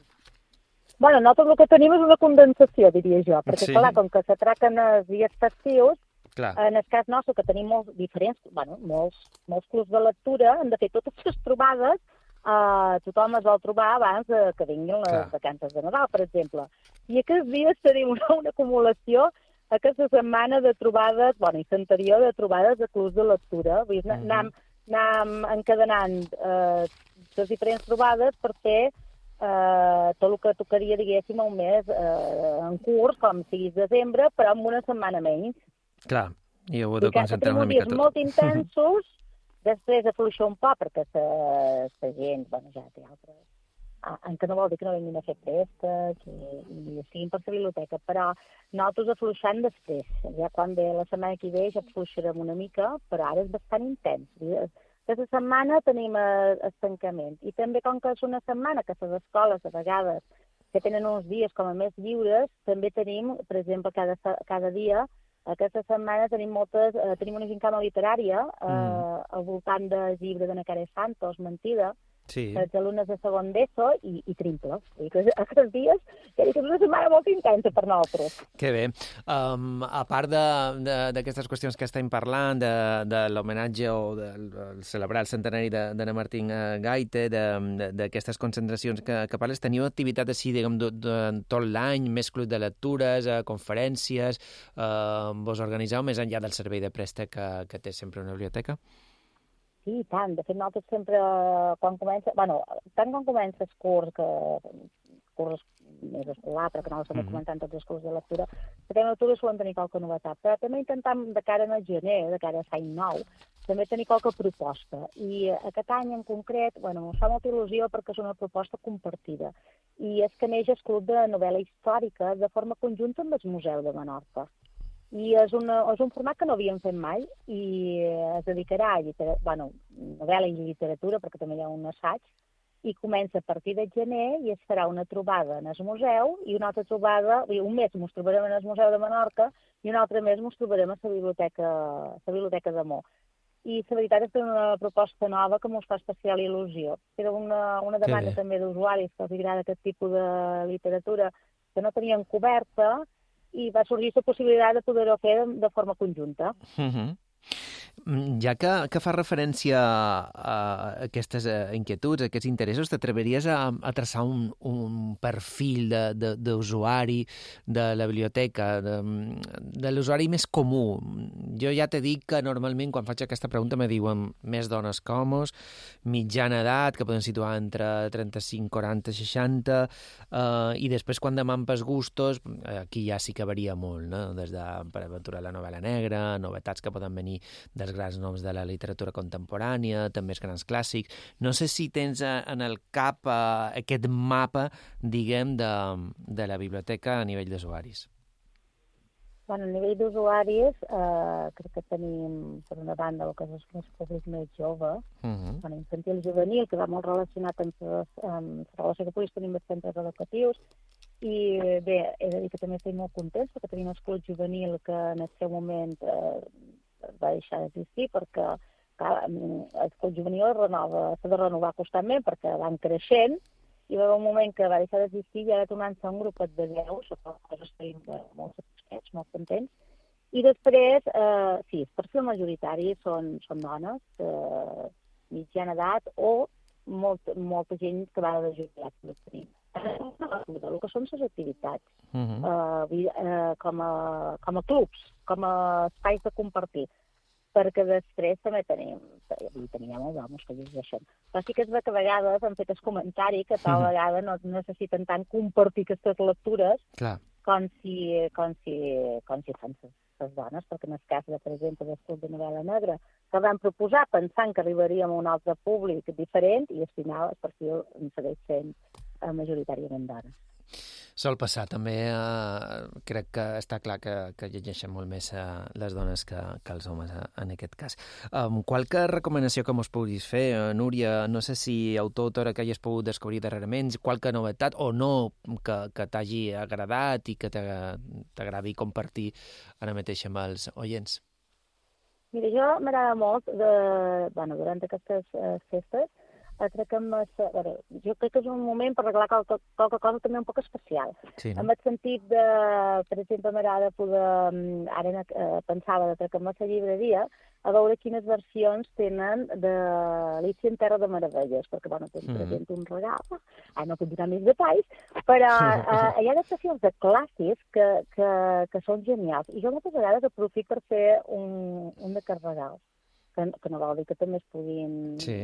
Bueno, nosaltres el que tenim és una condensació, diria jo, perquè, sí. clar, com que s'atraquen els dies festius, clar. En el cas nostre, que tenim molts diferents, bueno, molts, molts clubs de lectura, hem de fer totes les trobades, eh, tothom es vol trobar abans de que vinguin les clar. vacances de Nadal, per exemple. I aquests dies tenim una, una acumulació, aquesta setmana de trobades, bueno, i l'anterior de trobades de clubs de lectura, vull dir, mm-hmm. anem, anem encadenant eh, les diferents trobades per fer Uh, tot el que tocaria, diguéssim, un mes uh, en curs, com sigui desembre, però amb una setmana menys. Clar, i heu de concentrar una mica tot. Tenim molt intensos, després afluixar un poc, perquè la gent, bueno, ja té altres... Ah, en que no vol dir que no vinguin a fer préstecs i, i estiguin per la biblioteca, però nosaltres afluixant després. Ja quan ve la setmana que ve ja afluixarem una mica, però ara és bastant intens. Aquesta setmana tenim el tancament. I també, com que és una setmana que les escoles, a vegades, que tenen uns dies com a més lliures, també tenim, per exemple, cada, cada dia, aquesta setmana tenim moltes, eh, tenim una gincana literària eh, mm. al voltant del llibre de Nacaré Santos, Mentida, sí. els alumnes de segon d'ESO i, i trimples. I que aquests dies, que és una setmana molt intensa per nosaltres. Que bé. Um, a part d'aquestes qüestions que estem parlant, de, de l'homenatge o de, de celebrar el centenari d'Anna Martín Gaite, d'aquestes concentracions que, que parles, teniu activitat així, diguem, de, de, tot l'any, més club de lectures, eh, conferències, eh, vos organitzeu més enllà del servei de préstec que, que té sempre una biblioteca? Sí, tant. De fet, nosaltres sempre, quan comença... Bueno, tant quan comença el curs, que curs més escolar, però que no s'han de comentar tots els curs de lectura, que també l'octubre solen tenir qualque novetat. Però també intentam, de cara al gener, de cara a l'any nou, també tenir qualque proposta. I aquest any en concret, bueno, ens fa molta il·lusió perquè és una proposta compartida. I és que neix el Club de Novel·la Històrica de forma conjunta amb el Museu de Menorca. I és, una, és un format que no havíem fet mai i es dedicarà a lliter... bueno, novel·la i literatura, perquè també hi ha un assaig, i comença a partir de gener i es farà una trobada en el museu i una altra trobada, un mes ens trobarem en el Museu de Menorca i un altre mes ens trobarem a la biblioteca, la biblioteca de Mó. I la veritat és que és una proposta nova que ens fa especial il·lusió. Era una, una demanda sí. també d'usuaris que els agrada aquest tipus de literatura que no tenien coberta i va sorgir la possibilitat de poder-ho fer de, de forma conjunta. Uh-huh. Ja que, que fa referència a, a aquestes inquietuds, a aquests interessos, t'atreviries a, a traçar un, un perfil d'usuari de, de, de la biblioteca, de, de l'usuari més comú? Jo ja t'he dit que normalment quan faig aquesta pregunta me diuen més dones que homes, mitjana edat, que poden situar entre trenta-cinc, quaranta, seixanta, eh, i després quan demanen pels gustos, aquí ja sí que varia molt, no? Des de, per aventurar la novel·la negra, novetats que poden venir de dels grans noms de la literatura contemporània, també els grans clàssics. No sé si tens en el cap uh, aquest mapa, diguem, de, de la biblioteca a nivell d'usuaris. Bueno, a nivell d'usuaris, eh, crec que tenim, per una banda, el que és el públic més jove, uh-huh. bueno, infantil juvenil, que va molt relacionat amb, amb la relació que puguis tenir amb els centres educatius, i bé, he de dir que també estic molt contents perquè tenim el club juvenil que en el seu moment eh, va deixar d'existir perquè clar, el club juvenil renova, s'ha de renovar constantment perquè van creixent i va haver un moment que va deixar d'existir i ara tornant-se un grupet de deu, sobre coses estem molt satisfets, molt contents. I després, eh, sí, el perfil majoritari són, són dones de mitjana edat o molt, molta gent que va de jubilat que tenim. El que són les activitats, uh-huh. eh, eh, com, a, com a clubs, com a espais de compartir, perquè després també tenim, tenim molts homes que llegeixen. Però sí que és que a vegades han fet el comentari que tal uh-huh. vegada no necessiten tant compartir aquestes lectures Clar. com si, com si, com si fan les dones, perquè en el cas, de, per exemple, del Club de Novel·la Negra, que van proposar pensant que arribaríem a un altre públic diferent i al final el perfil segueix sent majoritàriament dones. Sol passar, també eh, crec que està clar que, que llegeixen molt més eh, les dones que, que els homes, eh, en aquest cas. Um, qualque recomanació que mos puguis fer, eh, Núria, no sé si autor o autora que hagis pogut descobrir darrerament, qualque novetat o no que, que t'hagi agradat i que t'agradi compartir ara mateix amb els oients? Mira, jo m'agrada molt, de, bueno, durant aquestes uh, festes, crec que amb, bueno, jo crec que és un moment per arreglar qualque, qualque cosa també un poc especial. Sí, no? En el sentit de, per exemple, m'agrada poder, ara eh, pensava de treure amb la llibreria, a veure quines versions tenen d'Alícia en Terra de Meravelles, perquè, bueno, tens mm. present un regal, ah, no puc donar més detalls, però eh, hi ha adaptacions de clàssics que, que, que són genials. I jo moltes vegades aprofito per fer un, un d'aquests regals, que, que no vol dir que també es puguin... Sí.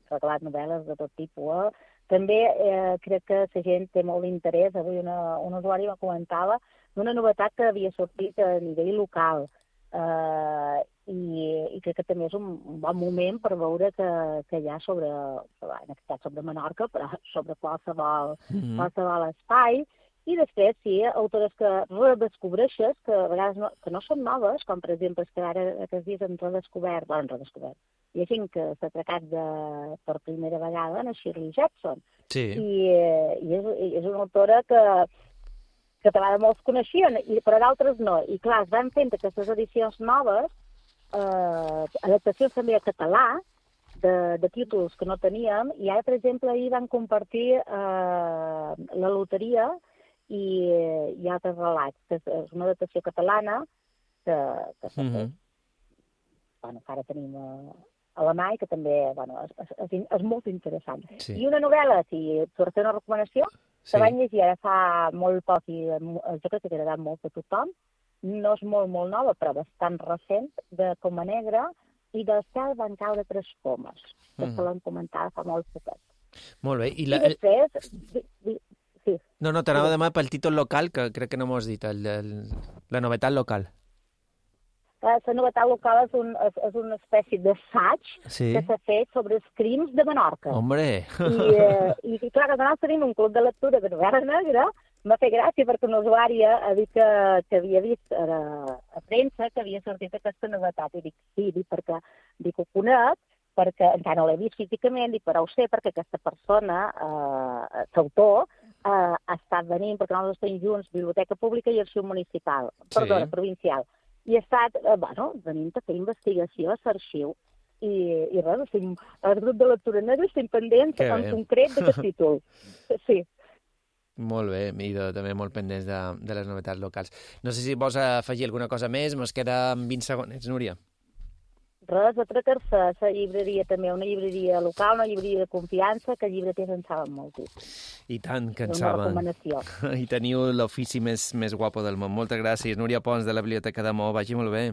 regalat novel·les de tot tipus. Eh? També eh, crec que la gent té molt d'interès. Avui una, un usuari me comentava d'una novetat que havia sortit a nivell local. Eh, i, I crec que també és un, un bon moment per veure que, que hi ha sobre, en aquest cas sobre Menorca, però sobre qualsevol, mm-hmm. qualsevol espai. I després, sí, autores que redescobreixes, que a vegades no, que no són noves, com per exemple, que ara aquests dies hem redescobert, bueno, redescobert, hi ha gent que s'ha atracat de, per primera vegada en Shirley Jackson. Sí. I, i és, és una autora que, que de vegades molts coneixien, i, però d'altres no. I clar, es van fent aquestes edicions noves, eh, adaptacions també a català, de, de títols que no teníem, i ara, per exemple, ahir van compartir eh, La loteria, i hi ha altres relats, que és una adaptació catalana que, que s'ha fet. Mm-hmm. Bueno, ara tenim uh, alemany, que també bueno, és, és, és molt interessant. Sí. I una novel·la, si per fer una recomanació, sí. que vaig llegir ara fa molt poc i jo crec que t'ha agradat molt a tothom, no és molt, molt nova, però bastant recent, de Coma Negra i del cel van caure tres pomes, que mm. se l'han comentat fa molt poquet. Molt bé. I, la... I després... Di, di, Sí. No, no, t'anava a demanar pel títol local, que crec que no m'ho has dit, el, el, la novetat local. La novetat local és, un, és, és una espècie d'assaig sí. que s'ha fet sobre els crims de Menorca. Hombre! I, eh, i clar, que nosaltres tenim un club de lectura de novel·la negra, m'ha fet gràcia perquè una usuària ha dit que, que havia vist a, a premsa que havia sortit aquesta novetat. I dic, sí, dic, perquè dic, ho conec, perquè encara no l'he vist físicament, dic, però ho sé perquè aquesta persona, eh, l'autor, Uh, ha estat venint, perquè nosaltres tenim junts Biblioteca Pública i Arxiu Municipal, sí. perdona, provincial, i ha estat, uh, bueno, venint a fer investigació a l'arxiu, i, i res, estem, el grup de lectura negra estem pendents en concret d'aquest títol. Sí. Molt bé, i de, també molt pendents de, de les novetats locals. No sé si vols afegir alguna cosa més, mos queda vint segons, Núria. Res, atracar-se a la llibreria també, una llibreria local, una llibreria de confiança, que llibreters en saben moltíssim. I tant que en saben. Una recomanació. I teniu l'ofici més, més guapo del món. Moltes gràcies. Núria Pons, de la Biblioteca de Maó. Vagi molt bé.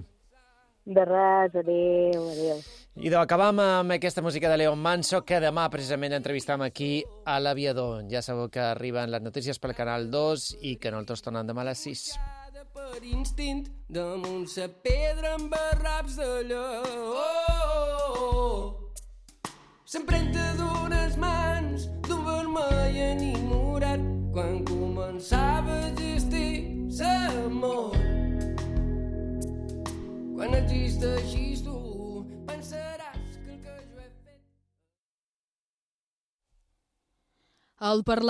De res, adéu, adéu. I acabam amb aquesta música de León Manso, que demà precisament entrevistam aquí a l'Aviador. Ja sabeu que arriben les notícies pel Canal dos i que nosaltres tornem demà a les sis. per instint damunt sa pedra amb barraps de lleó. S'empremta d'unes mans d'un vermell enamorat quan començava a existir l'amor. Quan existeixis tu pensaràs que el que jo he fet... El Parlament